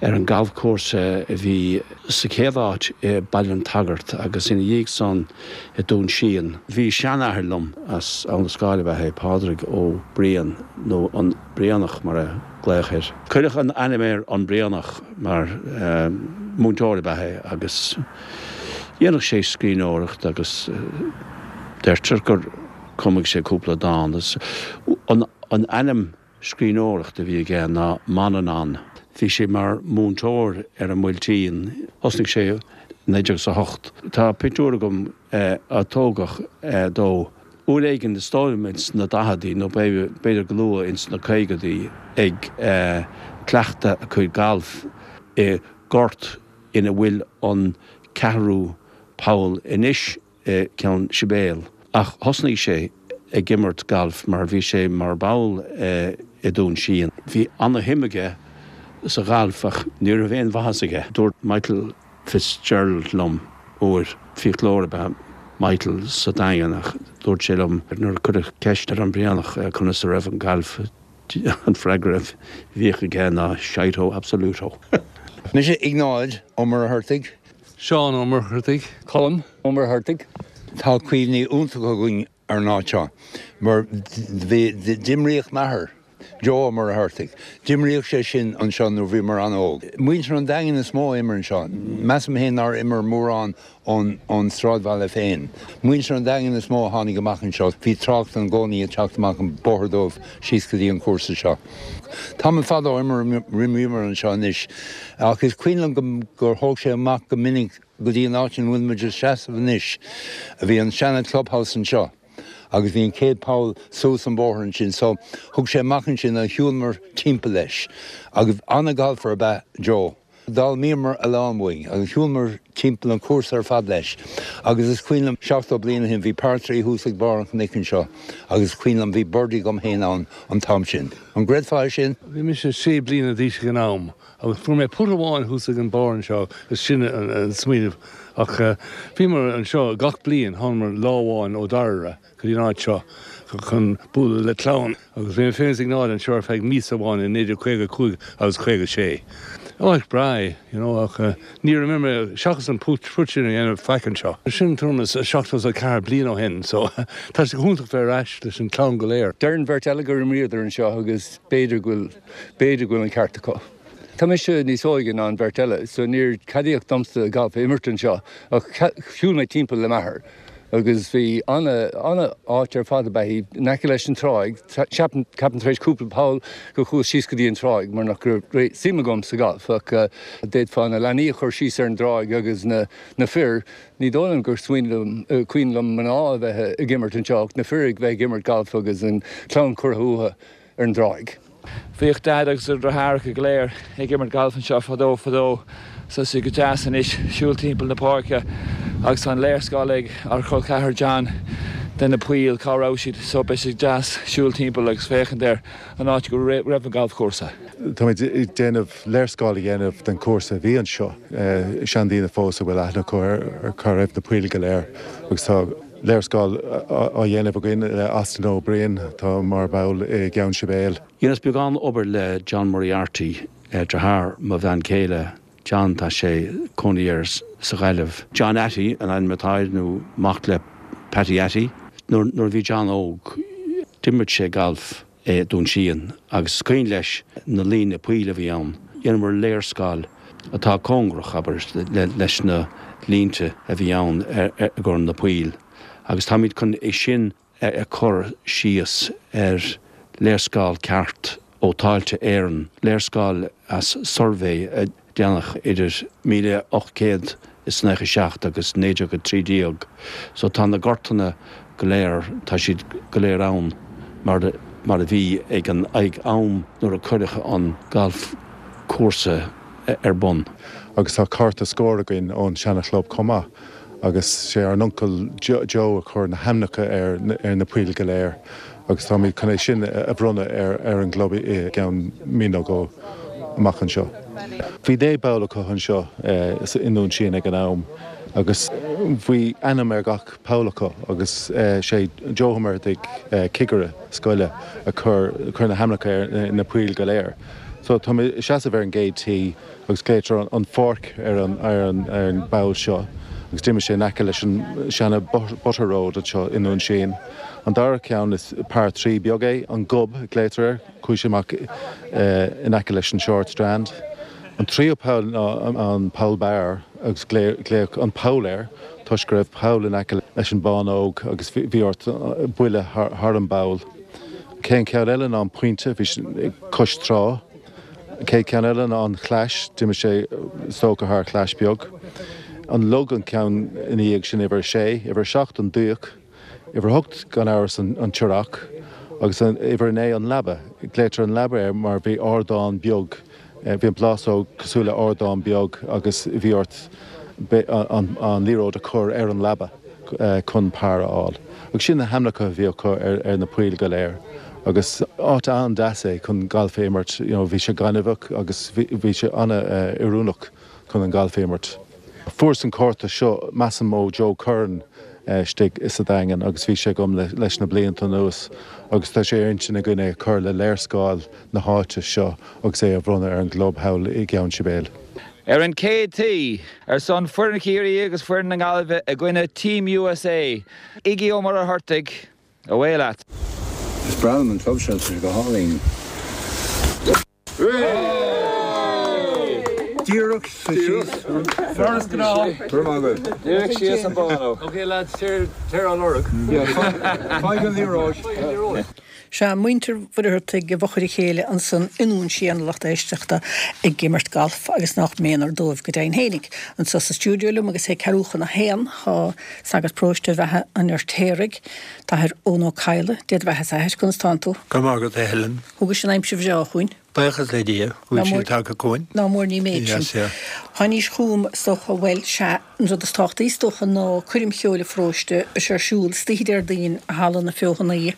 ar an galfchúrsa a bhí sa chéad áit i Baile an tSagairt agus ina dhiaidh san i Dún Síon. Bhí seanathair liom as Abhainn an Scáil ab ea é, Pádraig Ó Briain, nó an Brianach mar a glaodh air. Cuireadh an ainm air an Brianach mar múinteoir ab ea é agus dhéanadh sé scríbhneoireacht agus deirtear gur chumadh sé cúpla dán. An ainm scríbhneoireachta a bhí aige ná Manannán. Bhí sé mar mhúinteoir ar an mBuailtín. Thosnaigh sé i naoi déag is a hocht. Tá pictiúr agam a tógadh dó uair éigin is dóigh liom ins na daicheadaí nó b'fhéidir go luath ins na caogaidí ag cleachtadh a chuid gailf i ngort ina bhfuil an ceathrú poll anois i gCeann Sibéal. Ach thosnaigh sé ag imirt gailf mar bhí sé mar ball i Dún Síon. Bhí ana-shuim aige sa ghalf ach ní raibh aon mhaitheas aige. Dúirt Michael Fitzgerald liom uair, fiaclóir ab ea Michael sa Daingean, ach dúirt sé liom nuair a cuireadh ceist ar an Bhrianach conas a raibh an galf, an freagra a bhíodh aige ná shito absoluto. Mise Iognáid Ó Muircheartaigh. Seán Ó Muircheartaigh. Colm Ó Muircheartaigh. Tá cuimhní iontacha againn ar an áit seo mar bhí, d'imríodh m'athair, Joe Ó Muircheartaigh, d'imríodh sé sin anseo nuair bhíomar an-óg. Muintir an Daingin is mó a imir anseo. Measaim féin nár imir mórán ón ón sráidbhaile féin. Muintir an Daingin is mó a tháinig amach anseo. Bhí trácht i gcónaí ag teacht amach an Bóthar Dubh síos go dtí an cúrsa seo. Tamall fada ó imríomar anseo anois ach is cuimhin liom gur thóg sé amach go minic go dtí an áit ina bhfuil muid ag seasamh anois. Bhí an seana clubhouse anseo agus bhí an chéad poll suas an bóthar ansin so thug sé amach ansin agus shiúlamar timpeall leis. Agus ana-ghalfer ab ea Joe. D'fhoghlaimíomar a lán uaidh agus shiúlamar timpeall an cúrsa ar fad leis. Agus is cuimhin liom seachtó bliain ó shin bhí par trí thuas ag barr an chnoic anseo agus is cuimhin liom bhí birdie agam féin ann an t-am sin. An gcreidfeá é sin? Bhí mise sé bliana d'aois ag an am agus fuair mé putt amháin thuas ag an barr anseo agus sin an smaoineamh ach bhíomar anseo gach bliain, thánamar lá amháin ó Dairbhre go dtí an áit seo chun bualadh le clann agus bhí mé féin is Iognáid anseo ar feadh míosa amháin i naoi déag caoga a cúig agus caoga sé. Áit breá é, you know, ach níor imir mé seachas an putt sin a dhéanamh faic anseo. Sin tuairim is seachtó is a ceathair bliain ó shin so tá sé go hiontach bheith ar ais leis an chlann go léir. Deir an bheirt eile gur imríodar anseo agus b'fhéidir go bhfuil, b'fhéidir go bhfuil an ceart acu. Tá mise níos óige ná an bheirt eile so níor ceadaíodh domsa galf a imirt anseo ach shiúil mé timpeall le m'athair. Agus bhí an-áit ar fad ab ea í, in aice leis an tráigh, ceapaim tar éis cúpla poll go chuas síos go dtí an tráigh mar nach raibh suim agam sa ghalf ach d'fhéadfá na leanaí a chur síos ar an dtráigh agus na na fir, ní dóigh liom gur cuimhin liom mná a bheith ag imirt anseo ach na fir ag bheith ag imirt galf agus an chlann curtha uathu ar an dtráigh. Bhíodh Daid agus a dheartháireacha go léir ag imirt galf anseo fadó fadó so tá sé go deas anois siúl timpeall na páirce agus tá an léarscáil ag ár chol ceathar John de na poill cá raibh siad so beidh sé deas siúl timpeall agus féachaint ar an áit go raibh an galfchúrsa. Táimid ag déanamh léarscáil a dhéanamh den chúrsa a bhí anseo, seandaoine fós a bhfuil aithne acu ar cá raibh na poill go léir agus tá léarscáil á dhéanamh againn le Austin Ó Briain atá mar bhall i gCeann Sibéal. Dheineas beagán obair le John Moriarty, deartháir mo bhean chéile. John, tá sé cónaí air sa Ghaillimh. John Atty an ainm atá air nó mac le Patty Atty. Nuair a bhí John óg d'imir sé galf i Dún Síon agus is cuimhin leis na líne poill a bhí ann. Dheineamar léarscáil atá cóngarach, abair, leis na línte a bhí ann i gcomhair na poill agus táimid chun é sin a chur síos ar léarscáil ceart ó Tailte Éireann, léarscáil as suirbhé a déanadh idir míle ocht gcéad is nócha seacht agus naoi déag a trí déag. So tá na gortanna go léir, tá siad go léir ann mar mar a bhí ag an ag am nuair a cuireadh an galfchúrsa ar bun. Agus tá cárta scóir againn ón seana-chlub chomh maith agus sé ár n-uncail Joe a chuir na hainmneacha ar na poill go léir agus táimid chun é sin a bhronnadh ar an gclub i gceann mí nó dhó amach anseo. Bhí naoi bpoll acu anseo i nDún Síon ag an am agus bhí ainm ar gach poll acu agus sé Joe Ó Muircheartaigh, cigire scoile, a chuir na hainmneacha ar na poill go léir. So tá mé ag seasamh ar an gcéad tee agus glaoitear an pháirc ar an ar an ar an bpoll seo agus d'imigh sé in aice leis an seana Butter Road anseo i nDún Síon. An dara ceann is par trí beag é, an Gob a glaoitear air, chuaigh sé amach in aice leis an Short Strand. An tríú poll ná an poll beáir agus glaodh an poll air toisc go raibh poll in aice leis an bánóg agus bhí ort buille thar an bpoll. An chéad cheann eile ná an pointe, bhí sé cois trá. An chéad cheann eile ná an chlais, d'imigh sé is dócha thar chlais beag. An log an ceann ina dhiaidh sin, uimhir a sé, uimhir a seacht an dúch, uimhir a hocht gan amhras an t-earrach agus uimhir a naoi an leaba. Glaoitear an leaba air mar bhí ardán beag, bhí an plásóg cosúil le ardán beag agus bhí ort an liathróid a chur ar an leaba chun par a fháil. Agus sin na hainmneacha a bhí acu ar na poill go léir. Agus áit an-deas é chun galf a imirt, you know bhí sé gaineamhach agus bhí sé an-oiriúnach chun an galf a imirt. Fuaireas an cárta seo, measaim ó Joe Curran istigh sa Daingean agus bhí sé agam leis na blianta anuas agus tá sé ar intinn againn é a chur le léarscáil na háite seo agus é a bhronnadh ar an gclub thall i gCeann Sibéal. Ar an chéad tee, ar son foireann Chiarraí agus foireann na Gaillimhe i gcoinne Team USA, Iggy Ó Muircheartaigh, Away leat! Is breá liom an club seo, tá sé go hálainn. Díreach síos. Mar is gnáth. Go raibh maith agat. Díreach síos an bánóg. Ok lads, téir á lorg. Faigh an liathróid. Sea, muintir Mhuircheartaigh i bhfochair a chéile ansan i nDún Síon, a lucht éisteachta, ag imirt galf agus nach méanar dóibh go deimhin fhéinig. Anso sa stiúideo liom agus é ceathrú chun a haon, tá sagart paróiste Bheatha an Fheirtéaraigh, Athair Eoin Ó Cadhla, Dé do bheatha a Athair, conas tánn tú? Go maith agat, a Helen. Thugais an aimsir bhreá chugainn. Buíochas le Dia go bhfuil sí tagtha chugainn. Ná mór ní méid sin. Yes, yeah. Tháinís chugam, is dócha, bhuel, sea, an rud is tábhachtaí, is dócha, ná coirm cheoil an pharóiste, beidh sé ar siúl istoíche Déardaoin i Halla na Feothanaí,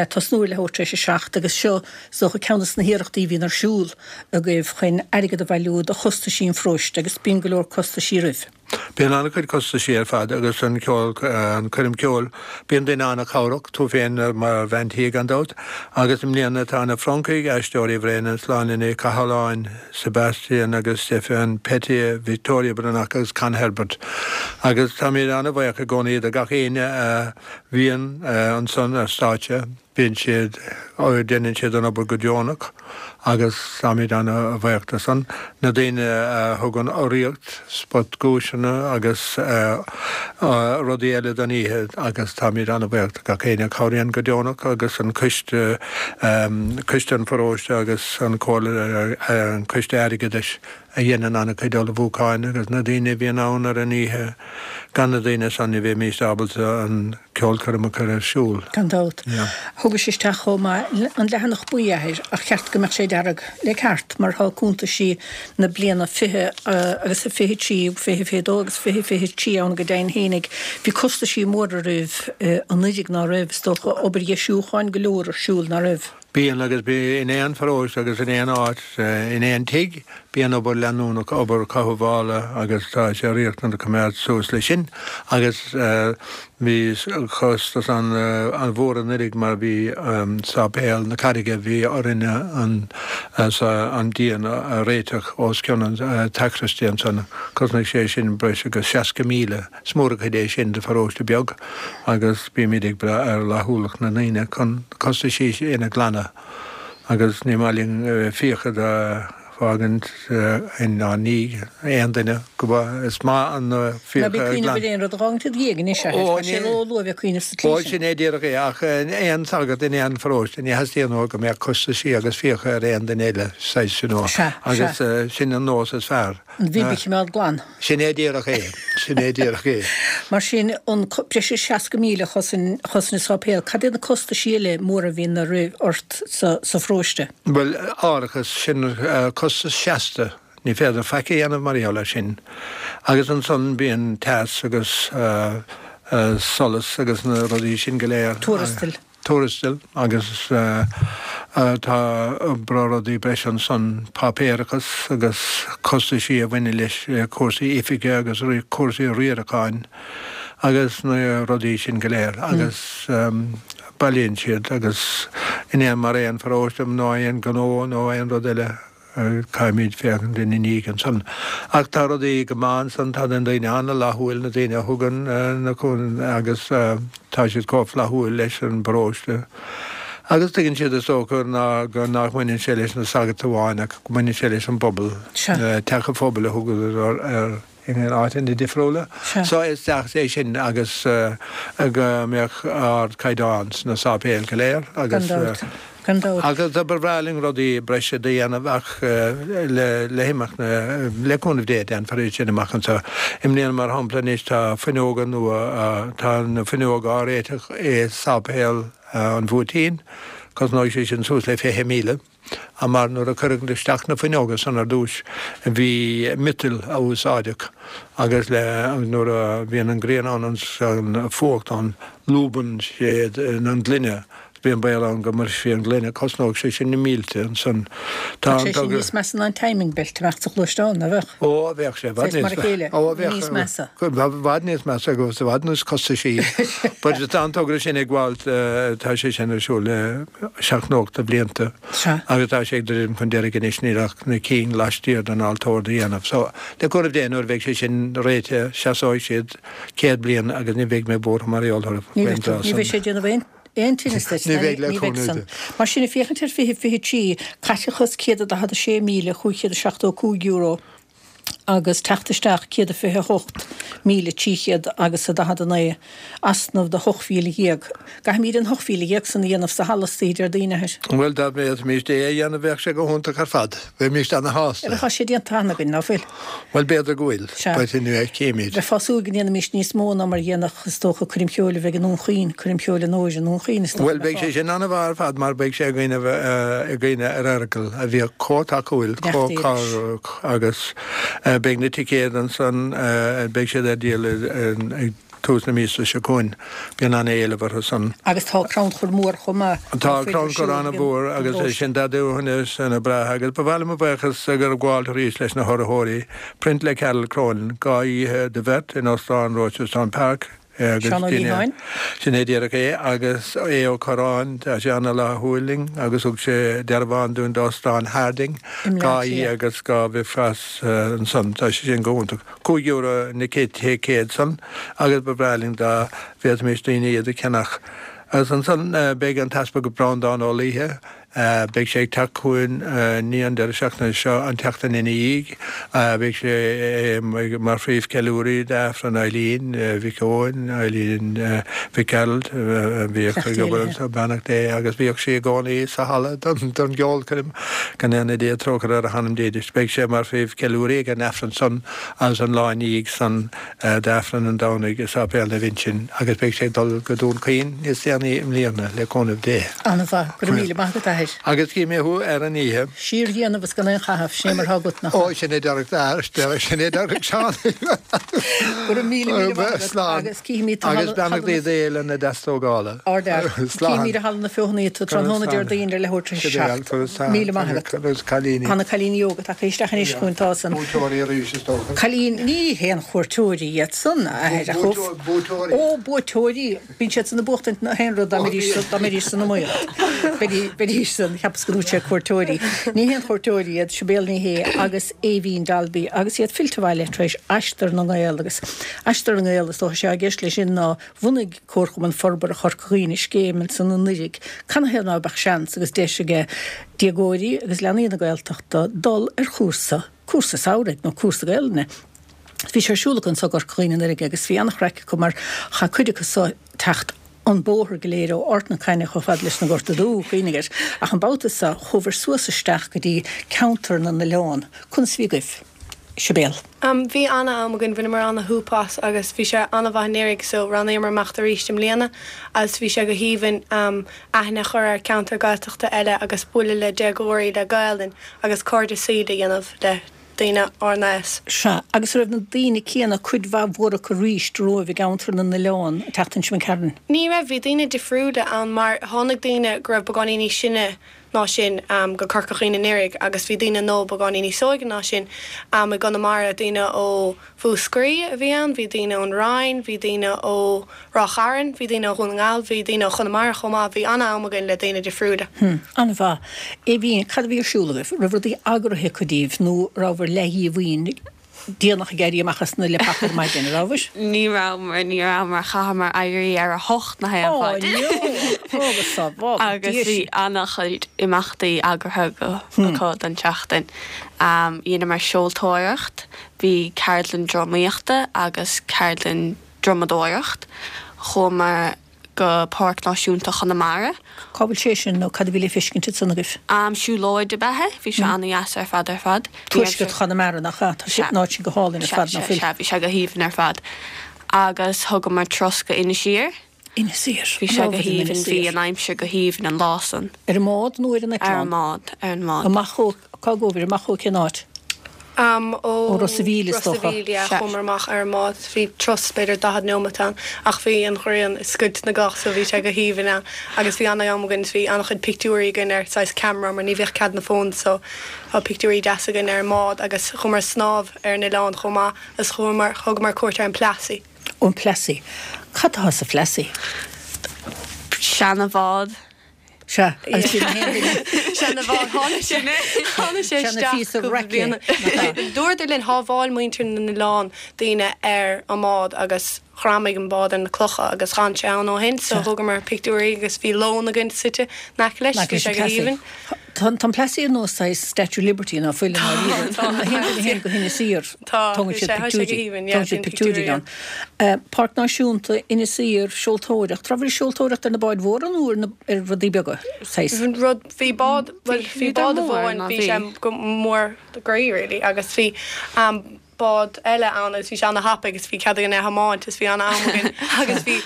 tosnú ar leathuair tar éis a seacht, agus seo, is dócha, ceann de na hiarrachtaí a bhíonn ar siúl agaibh chun airgead a bhailiú do chostaisí an pharóiste, agus bíonn go leor costaisí roimh. Bíonn an-chuid costaisí ar fad agus an ceol, an coirm ceoil, bíonn daoine an-chabhrach, tú féin mar bhean tí gan dabht, agus i mbliana tá na Francaigh, Aisteoirí Bhréanainn, Sláine Ní Chathalláin, Sebastian agus Stefan Pettier, Victoria Breathnach agus Con Herbert. Agus táimid an-bhuíoch i gcónaí do gach éinne a bhíonn ansan ar stáitse. Bíonn siad, déanann siad an obair go deonach agus táimid ana-bhuíoch de san. Na daoine a thugann urraíocht, spotdhuaiseanna agus rudaí eile don oíche agus táimid ana-bhuíoch de gach éinne a chabhraíonn go deonach agus an coiste, coiste an pharóiste agus an comhairle, an coiste airgeadais a dhéanann an-chuid ullmhúcháin agus na daoine a bhíonn ann ar an oíche, gan na daoine san ní bheimíst ábalta an ceolchoirm a chur ar siúl. Gan dabht. Thugais isteach chomh maith an leathanach buí, a Athair, ach cheart go mbeadh sé dearg le ceart mar tá cuntaisí na bliana fiche agus a fiche trí, fiche fiche dó agus fiche fiche trí ann go deimhin fhéinig. Bhí costaisí móra oraibh anuiridh, ná raibh, is dócha, obair dheisiúcháin go leor ar siúl, ná raibh? Bíonn, agus bíonn in aon pharóiste agus in aon áit, in aon tigh, bíonn obair leanúnach, obair chothabhála agus tá sé riachtanach coimeád suas leis sin. Agus bhí costas an-mhór anuiridh mar bhí Sáipéal na Carraige, bhí orainne an an díon a réiteach os cionn an tSacraistí ansan. Chosnaigh sé sin breis agus seasca míle. Is mór an chuid é sin do pharóiste beag agus bímid ag brath ar fhlaithiúlacht na ndaoine chun costaisí sin a ghlanadh agus ní maith linn fiacha do fhágaint inár ndiaidh aon duine go is maith an fiacha Ná bí ag cuimhneamh ar aon rud a dh'fhágaint id dhiaidh anois, a Athair, tá sé ró-luath a bheith ag cuimhneamh sa tslí Ó, sin. sin é díreach é, ach aon sagart in aon pharóiste, ní theastaíonn uathu go mbeadh costaisí agus fiacha ar aon duine eile, saghas you know, Sea, agus sea. sin an nós is fearr. An bhib a choimeád glan. Sin é díreach é. Sin é díreach é. Mar sin, an breis is seasca míle a chosain an sáipéal, cad iad na costaisí eile móra a bhíonn ort sa pharóiste? Bhuel, árachas, sin costas seasta, ní féidir faic a dhéanamh mar gheall air sin. Agus ansan bíonn teas agus solas agus na rudaí sin go léir. Tuarastail. Tuarastail agus tá breá rudaí breise ansan, páipéarachas agus costaisí a bhaineann leis cúrsaí oifige agus cúrsaí riaracháin agus na rudaí sin go léir agus bailíonn siad agus in aon mar aon pharóiste nó aon ghnó nó aon rud eile. Caithfimid féachaint ina ndiaidh ansan. Ach tá rudaí go maith ansan, tá na daoine an-fhlaithiúil, na daoine a thugann na cúnamh agus tá siad chomh flaithiúil leis an bparóiste. Agus tuigeann siad is dócha ná go nach mbaineann sé leis na sagairt amháin ach go mbaineann sé leis an bpobal, teach an phobail a thugadar air. in áiteanna difriúla. So is deas é sin agus go mbeadh ardchaighdeán sna sáipéil go léir agus agus ba bhreá linn rudaí breise do dhéanamh ach le le himeacht na le cúnamh Dé déanfar iad sin amach anseo. I mbliana mar shampla anois tá fuinneoga nua tá na fuinneoga á réiteach i sáipéal an Bhuairtín, cosnóidh sé sin suas le fiche míle. Mar nuair a cuireadh isteach na fuinneoga san ar dtúis bhí miotal a úsáideadh agus le nuair a bhíonn an ghrian ann agus an fuacht ann lúbann sé an gloine bíonn baol ann go mbrisfí an ghloine. Cosnóidh sé sin na mílte ansan. Tá sé sin níos measa ná an timing belt a bheadh sa ghluaisteán, ná bheadh? Ó, bheadh sé i bhfad níos measa. Ó, bheadh. Níos measa. I bhfad níos measa agus i bhfad níos costaisí. But tá an togra sin ag gabháilt, tá sé sin ar siúl le seacht nó ocht de bhlianta. Sea. Agus tá sé ag druidim chun deiridh anois, níl ach na cinn laistiar den altóir do dhéanamh. So, le cúnamh Dé, nuair a bheidh sé sin réitithe, seasóidh siad céad bliain agus ní bheidh mé buartha mar gheall orthu Ní faoin bheidh tú. dtráth Ní san. bheidh sé ag déanamh aon aon tinneas duit, Ní ná bheidh le ní bheidh cúnamh san. Dé. Mar sin, ag féachaint ar fiche fiche trí, caiteachas céad a daichead a sé míle chúig chéad a seachtó cúig euro agus teacht isteach céad a fiche a hocht míle trí chéad agus a daichead a naoi, easnamh de hocht mhíle dhéag. Caithfimid an hocht mhíle dhéag san a dhéanamh sa halla istoíche Déardaoin, a Athair. Bhuel, dá bhféadfaimíst é a dhéanamh bheadh sé go hiontach ar fad. Bheimíst ana-shásta. Tá sé déanta cheana againn, ná fuil? Bhuel, b'fhéidir go bhfuil, Sea. but anyway, címid. Bheifeá ag súil go ndéanfaimíst níos mó ná mar a dhéanfadh, is dócha, coirm cheoil a bheidh i nDún Chaoin, coirm cheoil an Fhómhair i nDún Chaoin, is dócha, Bhuel, beidh sé sin an-mhaith ar fad mar beidh sé againn i gcuimhne ar Fheargal a bhíodh chomh tacúil, chomh Beacht leis. cabhrach agus beidh na ticéid ansan, beidh siad ar díol ag tús na míosa seo chugainn. Bíonn an-éileamh orthu san. Agus tá crannchur mór chomh maith. Tá crannchur an-mhór agus é sin Déardaoin ana breá agus ba mhaith liom mo bhuíochas a ghabháil arís leis na hurraitheoirí, Print le Carol Cronin, dhá oíche do bheirt in Óstán Rochestown Park agus Seán Ó Liatháin. Sin é díreach é agus Aodh Ó Corráin, tá sé ana-fhlaithiúil linn agus thug sé dearbhán dúinn d'Óstán Harding, I mBleá dhá oíche Cliath. agus dhá bhricfeasta ansan, tá sé sin go hiontach. Cúig euro na ticéid san agus ba bhreá linn dá bhféadfaimis daoine iad a cheannach. Agus ansan beidh an tEaspag Breandán Ó Laoithe, beidh sé ag teacht chugainn ní an deireadh seachtaine seo, an tseachtain ina dhiaidh. Beidh sé mar phríomhcheiliúraí d'Aifreann Eileen Mhic Eoin, Eileen Mhic Gearailt, a bhíodh ag obair anseo, beannacht Dé, agus bhíodh sí i gcónaí sa halla don gceolchoirm, go ndéana Dia trócaire ar a hanam dílis. Beidh sé mar phríomhcheiliúraí ag an Aifreann san agus an lá ina dhiaidh san d'Aifreann an Domhnaigh i Sáipéal Naomh Uinseann agus beidh sé ag dul go Dún Chaoin níos déanaí i mbliana, le cúnamh Dé. An-mhaith. Go raibh míle maith agat, a Athair. Agus cífidh mé thú ar an oíche. Síordhéanamh is gan aon chaitheamh, sin é mar atá agat, nach ea? Ó, sin é dearg d'athair, sin é dearg Seán. Go raibh míle míle maith agat agus cífimid tú. Agus beannachtaí Dé le na deastógála. Ardfhear. Cífimid i Halla na Feothanaí tú tráthnóna Déardaoin ar leathuair tar éis a seacht. Míle maith agat. Tá na cailíní óga tagtha isteach anois chugainn, tá san. Buaiteoirí arís is dócha. Cailín, ní haon chuairteoirí iad san, a athair, ach Buaiteoirí. Ó, buaiteoirí. Bíonn siad san ag buachtaint na haon rud dá mbeidís san iomaíocht. Bheidís san, cheapas go ndúirt sé cuairteoirí. Ní haon chuairteoirí iad, Sibéal Ní Shé agus Aoibhín Dalby agus iad fillte abhaile tar éis Aistear na nGael agus Aistear na nGael is dócha sé i gceist leis sin ná bhunaigh Comharchumann Forbartha Chorca Dhuibhne scéim ansan anuraidh canathaobh ná beadh seans agus deis aige déagóirí agus leanaí na Gaeltachta dul ar chúrsa, cúrsa samhraidh nó cúrsa Gaelainne. Bhí sé ar siúl acu anso i gCorca Dhuibhne anuraidh agus bhí an-chraic acu mar chaith cuid acu so teacht an bóthar go léir ó Ard na Caithne chomh fada leis an Gorta Dubh, cuimhnigh air. Ach an babhta so chuabhair suas isteach go dtí ceantar na n-oileán. Conas a bhí agaibh? Sibéal. Bhí ana-am againn, bhaineamar ana-shúp as agus bhí sé ana-mhaith anuraidh so roghnaíomar imeacht arís i mbliana agus bhí sé go haoibhinn aithne a chur ar ceantar Gaeltachta eile agus bualadh le déagóirí le Gaelainn agus cairde saoil a dhéanamh le daoine ár n-aos. Sea, agus an raibh na daoine céanna, cuid mhaith mhór acu arís romhaibh i gceantar na n-oileán, an tseachtain seo imigh tharainn? Ní raibh, bhí daoine difriúla ann mar tháinig daoine go raibh beagáinín níos sine ná sinn go Corca Dhuibhne anuraidh agus bhí daoine nua beagáinín níos óige ná sinn i gConamara, daoine ó Mhúscraí a bhí ann, bhí daoine ón Rinn, bhí daoine ó Ráth Chairn, bhí daoine ó Dhún na nGall, bhí daoine ó Chonamara chomh maith, bhí an-am againn le daoine difriúla. Hm, an-mhaith. Aoibhín, cad a bhí ar siúl agaibh? Raibh rudaí eagraithe acu daoibh nó rabhabhair leathdhíomhaoin déanach ag éirí amach as na leapacha ar maidin, an rabhabhair? Ní rabhamar, ní rabhamar, chaitheamar éirí ar a hocht na haon Ó, mhaidin. no! Ó, go sábhála Agus Dia bhí sinn. an-chuid imeachtaí eagraithe go, acu don tseachtain. Dheineamar seoltóireacht, bhí ceardlann drámaíochta agus ceardlann drumadóireacht. Chuamar go Páirc Náisiúnta Chonamara. Cá bhfuil sé sin nó cad a bhí le feiscint ansan agaibh? Am siúlóid ab ea é. Bhí sé an-dheas ar fad ar fad. Bhí Tuaisceart Chonamara, nach ea? Tá sé, an áit sin go hálainn ar fad, nach bhfuil? Sea, sea, bhí sé go haoibhinn ar fad. Agus thugamar turas go Inis Oírr. Inis Oírr. Bhí sé go haoibhinn, bhí an aimsir go haoibhinn an lá san. Ar an mbád nó ar an eitleán? Ar an mbád, ar an mbád. Amach ó, cá gcuabhair, amach ó cén áit? Am ó Ó Ros a' Mhíl, is Ros a' dócha. Mhíl, yeah, Sea. chuamar amach ar an mbád. Bhí turas b'fhéidir daichead nóimeat ann ach bhí an ghrian ag scoilt na gcloch so bhí sé go haoibhinn ann agus bhí an-am againn is bhí an-chuid pictiúirí againn ar saghas ceamara mar ní bhíodh cead na phones so tá pictiúirí deasa againn ar an mbád agus chuamar ag snámh ar an oileán chomh maith agus chuamar, thugamar cuairt ar an Plassey. An Plassey. Cad atá sa Phlassey? Seana-bhád. Sea, agus bhí na haon duine. Seana-bhád. Tháinig sé, tháinig sé Seana isteach phíosa cúpla raice, bliain. nach ea? Dúradar linn, shábháil muintir na n-oileán daoine ar an mbád agus ghreamaigh an bád ar na clocha agus d'fhan sé ann ó shin so Sea. thugamar pictiúirí agus bhí lón againn suite in aice leis, In aice bhí leis sé an go Plassey. haoibhinn. Tá an Plassey ar nós saghas Statue of Liberty ná fuil i ndáiríre. Tá, Na haon duine a théann go hInis Oírr, Tá, tógann bhí siad sé, tá sé go pictiúirí, haoibhinn, yeah, tógann siad bíonn pictiúirí pictiúirí ann. Páirc Náisiúnta Inis Oírr, seoltóireacht. Rabhabhair ag seoltóireacht ar na báid mhóra nó ar na ar rudaí beaga, saghas? Rud, bhí bád, bhuel, bhí Bhíodar bád mór, amháin, ná bhí sé bhí? go mór groí really agus bhí bád eile ann agus bhí sé ana-thapaidh agus bhí cead againn é a thiomáint agus bhí ana-am againn agus bhí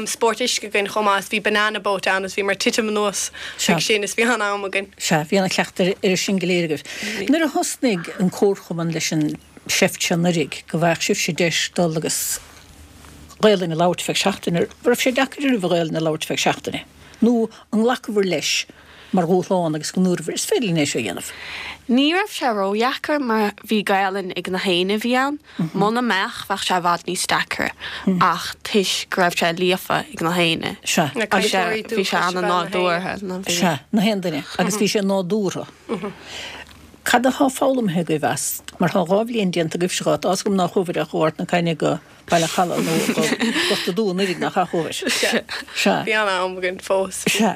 spórt uisce againn chomh maith agus bhí banana boat ann agus bhíomar ag titim anuas Sea. chuig sin is bhí ana-am againn. Sea, bhí ana-chleachtadh ar sin go léir agaibh. Nuair a thosnaigh an Comharchumann leis an seift seo anuraidh, go bhfaigheadh sibhse deis dul agus Gaelainn a labhairt feadh seachtaine, raibh sé deacair oraibh Gaelainn a labhairt feadh seachtaine? Nó an nglacabhair leis mar dhúshlán agus go ndúrabhair, is féidir linn é seo a dhéanamh? Ní raibh sé ródheacair mar bhí Gaelainn ag na héinne a bhí ann. Muna mbeadh, bheadh sé i bhfad níos deacra ach toisc go raibh sé líofa ag na héinne. Sea. Na Bhí sé cainteoirí bhí sé dúchais ab ea na héinne. an-nádúrtha. Sea, na haon duine agus bhí sé nádúrtha. Cad athá foghlamtha agaibh as? Mar thá dhá bhliain déanta agaibhse dhá, tá's agam nár chuabhair ach ó Ard na Caithne go Baile Chalaidh nó go Gort a' Dúin anuraidh, nach ea, chuabhair? Sea. Sea. Bhí an-am againn fós. Sea.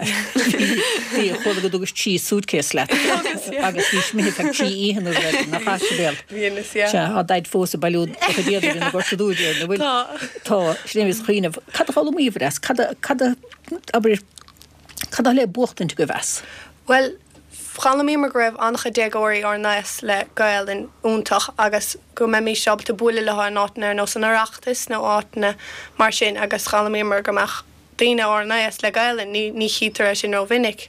Bhí, chuala go dtugais trí suitcase leat. Thugas, yeah. Agus bhís imithe feadh trí oíche nó rud éigin, nach ea, Sibéal? Bhí anois, yeah. Sea, thá Daid fós ag bailiú do chuid éadaigh ina Gort a' Dúin, déarfainn, an bhfuil? Tá. Tá. Sin é a bhíos ag cuimhneamh. Cad a d'fhoghlaimíobhair as? Cad a, cad a, abair, cad atá le buachtaint agaibh as? Bhuel, D'fhoghlaimíomar go raibh an-chuid déagóirí ár n-aos le Gaelainn iontach agus go mbeimís ábalta bualadh leo in áiteanna ar nós an Oireachtais nó áiteanna mar sin agus d'fhoghlaimíomar go mbeadh daoine ár n-aos le Gaelainn, ní ní chítear é sin rómhinic.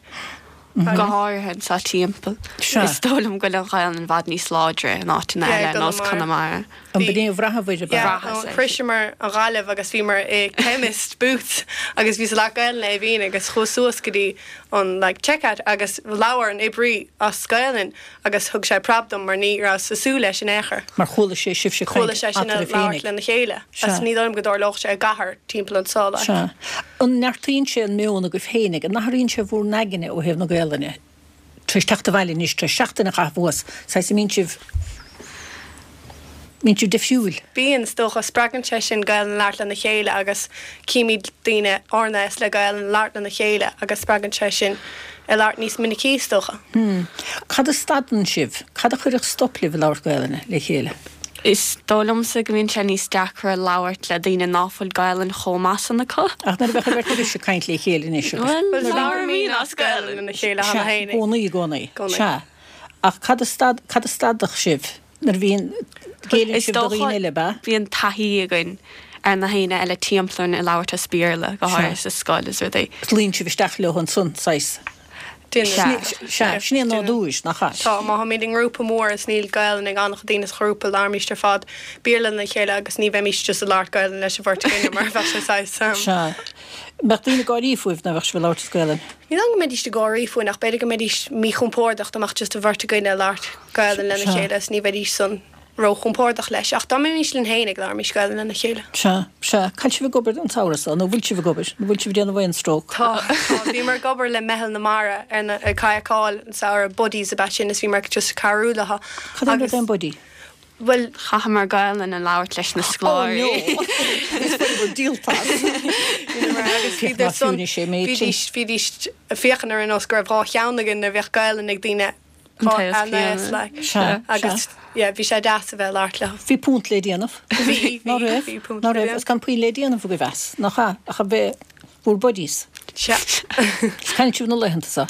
Go háirithe anseo timpeall. Sea. Is dóigh liom go bhfuil an Ghaelainn i bhfad níos láidre in áiteanna Yeah, i eile ar nós gConamara. Conamara. An b'in é a bhraitheabhair, ab ea? Yeah, Bhraitheas é. shroiseamar an Ghaillimh agus bhíomar i chemist Boots agus bhíos ag labhairt Gaelainn le Aoibhín agus chuas suas go dtí an like checkout agus labhair an oibrí as Gaelainn agus thug sé preab dom mar ní rabhas ag súil leis in aon chor. Mar chuala sé sibhse ag caint Chuala sé sinn ag eatarthu labhairt féinig. lena chéile Sea. agus ní dóigh liom go dtarlódh sé i gcathair timpeall anseo like. Sea. An neartaíonn sé an meon agaibh féinig? An athraíonn sé bhur n-aigne ó thaobh na Gaelainne? Tar éis teacht abhaile anois, tar éis seachtain a chaitheamh thuas, saghas a mbíonn sibh, mbíonn sibh difriúil? Bíonn, is dócha. Spreagann sé sinn Gaelainn a labhairt lena chéile agus címid daoine ár n-aos le Gaelainn a labhairt lena chéile agus spreagann sé sinn ag labhairt níos minicí, is dócha. Hmm. Cad a stadann sibh? Cad a chuirfeadh stop libh ag labhairt Gaelainne le chéile? Is dóigh liomsa go mbíonn sé níos deacra labhairt le daoine ná fuil Gaelainn chomh maith san acu. Ach nuair a bheadh an bheirt agaibhse ag caint le chéile anois agus. Bhuel, Bhuel, labhraímid labhraímid as as Gaelainn Gaelainn. lena chéile cheana Sea, i féin. gcónaí, i gcónaí. Gcónaí. Sea. Ach cad a stad, cad a stadfadh sibh nuair a bhíonn, géilleann Is sibh do dócha dhaoine eile, ab ea? bíonn taithí againn ar na haoinne eile timpeall orainn ag labhairt as Béarla, go Sea. háirithe sa scoil is rudaí. Luíonn sibh isteach leo ansan, saghas. Déanann. Sea, sin é an nádúr, nach ea? Tá, má tháimid i ngrúpa mór is níl Gaelainn ag an-chuid daoine sa ghrúpa, labhraímid ar fad Béarla lena chéile agus ní bheimís just ag labhairt Gaelainn leis an bheirt againne mar bheadh sé saghas. Sea. Mbeadh daoine ag gáirí fúibh dá mbeadh sibh ag labhairt as Gaelainn? Ní dóigh go mbeidís ag gáirí fúinn ach b'fhéidir go mbeidís míchompordach dá mbeadh just an bheirt againne ag labhairt Gaelainn lena chéile is ní bheidís san róchompordach leis. Ach dá mbeimis linn féin ag labhraímis Gaelainn lena chéile. Sea, sea. Cá bhfuil sibh ag obair an samhradh seo, nó bhfuil sibh ag obair? Nó bhfuil sibh ag déanamh aon stróc? Tá, tá. Bhíomar ag obair le Meitheal na Mara ar na, ag kayakáil an samhradh, buddies ab ea sin is bhíomar just ag cabhrú leo. Cad é an rud Agus, é an buddy? bhuel, Chaitheamar Gaelainn a labhairt leis na Oh scoláirí. no! Is bhfuil díoltas. Bhíomar agus Féach bhíodar ná san, fiúnais é méid sin. bhídís, bhídís ag féachaint ar nós go raibh dhá cheann againn nuair a bheadh Gaelainn ag daoine An taos An céanna. taos, like. Sea, Agus, sea. yeah, bhí sé deas a bheith ag labhairt leo. Bhí punt le déanamh. Bhí, Ná bhí, raibh? bhí punt Ná le raibh? déanamh. Is gan puinn le déanamh agaibh as, nach ea? Ach a bheith bhur buddies. Sea. Is cá bhfuil sibh na laethanta seo?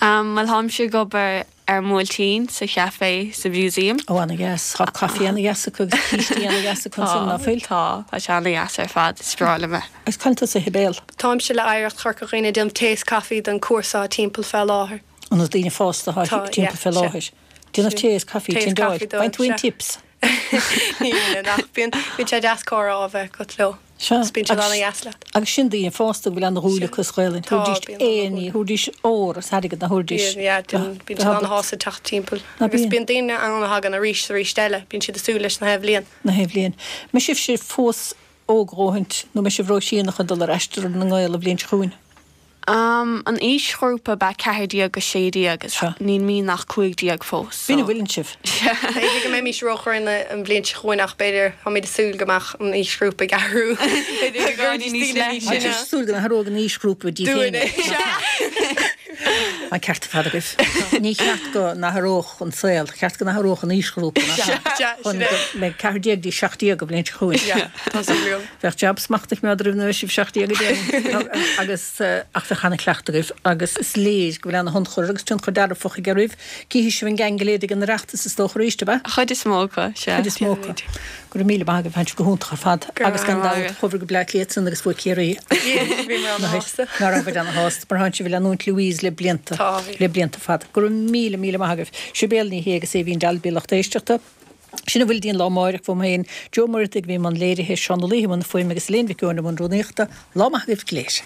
Um, Bhuel táimse ag obair ar an mBuailtín sa chafé sa museum. Ó, ana-dheas. Tá caife ana-dheas acu agus cístí ana-dheas acu ansin, ná fuil? Tá, tá sé ana-dheas ar fad, is breá liom é. Agus cá bhfuil tusa, a Shibéal? Táimse le Oidhreacht Chorca Dhuibhne ag déanamh tae is caife don cúrsa timpeall fé láthair. An na daoine fásta atá Tá, timpeall yeah, fé sea. láthair. Déanamh tae is caife, Tae is tinn caife dáil. dóibh, Bain tú aon sea. tips? Ní bhíonn, ach bíonn, bíonn sé deas comhrá a bheith agat leo. Sea, Is bíonn siad agus ana-dheas leat. agus sin daoine fásta go bhfuil ana-dhúil acu sa Ghaelainn. Tá, Thabharfaidís bíonn aon ní, ana-dhúil. thabharfaidís ór is airgead na thabharfaidís. Bíonn, yeah, bíonn, bíonn siad ana-shásta teacht timpeall. Ná Agus bíonn. bíonn daoine ann a thagann arís is arís eile, bíonn siad ag súil leis na hathbhliain. Na hathbhliain. Mbeidh sibhse fós óg a dhóthaint, nó mbeidh sibh róshean chun dul ar aistear na nGael an bhliain seo chugainn? Um, an aoisghrúpa ba ceathair déag go sé déag agus Sea. níl mé ach cúig déag fós. B'in a so. bhfuileann sibh. B'fhéidir go mbeimis róchríonna an bhliain seo chugainn ach b'fhéidir táimid ag súil go mbeadh an aoisghrúpa ag athrú. B'fhéidir go gcuirfidís níos daoine níos leithne. Tá sine. sibh ag súil go n-athródh an aoisghrúpa díbh Dúinne. féin. An ceart ar fad agaibh. Ní cheart go n-athródh an saol, cheart go n-athródh an aoisghrúpa nach ea? Sea, Chun sin é. go mbeidh ceathair déag dtí seacht déag an bhliain seo chugainn. Yeah, tá súil agam. Bheadh jab smacht ag méadar roimh na sibh seacht déag a déanamh. Agus eh, ach bheadh ana-chleachtadh agaibh agus is léir go bhfuil ana-thionchar agus tionchar dearfach aige oraibh. Cífidh sibh an geaing go léir ag an Oireachtas is dócha arís, ab ea? Chuid is mó acu, sea. Chuid is mó acu. Go raibh míle maith agaibh, tháinig sibh go hiontach ar fad. Go raibh Agus gan maith dabht, agaibh. chuabhair go Bleá Cliath san agus bhuaigh Ciarraí. Bhí mé ana-shásta. Ná raibh ana-shásta, mar tháinig sibh ag leanúint Louise le blianta, Tá, bhí. le blianta fada. Go raibh míle míle maith agaibh. Sibéal Ní Shé agus Aoibhín Dalby lucht éisteachta. Sin a bhfuil dínn lá amárach uaim féin, Joe Muirigh a bhí i mbun léirithe, Seán Ó Laoithe i mbun fuaime agus Elaine Mhic Eoin i mbun rúnaíochta, lá maith agaibh go léir.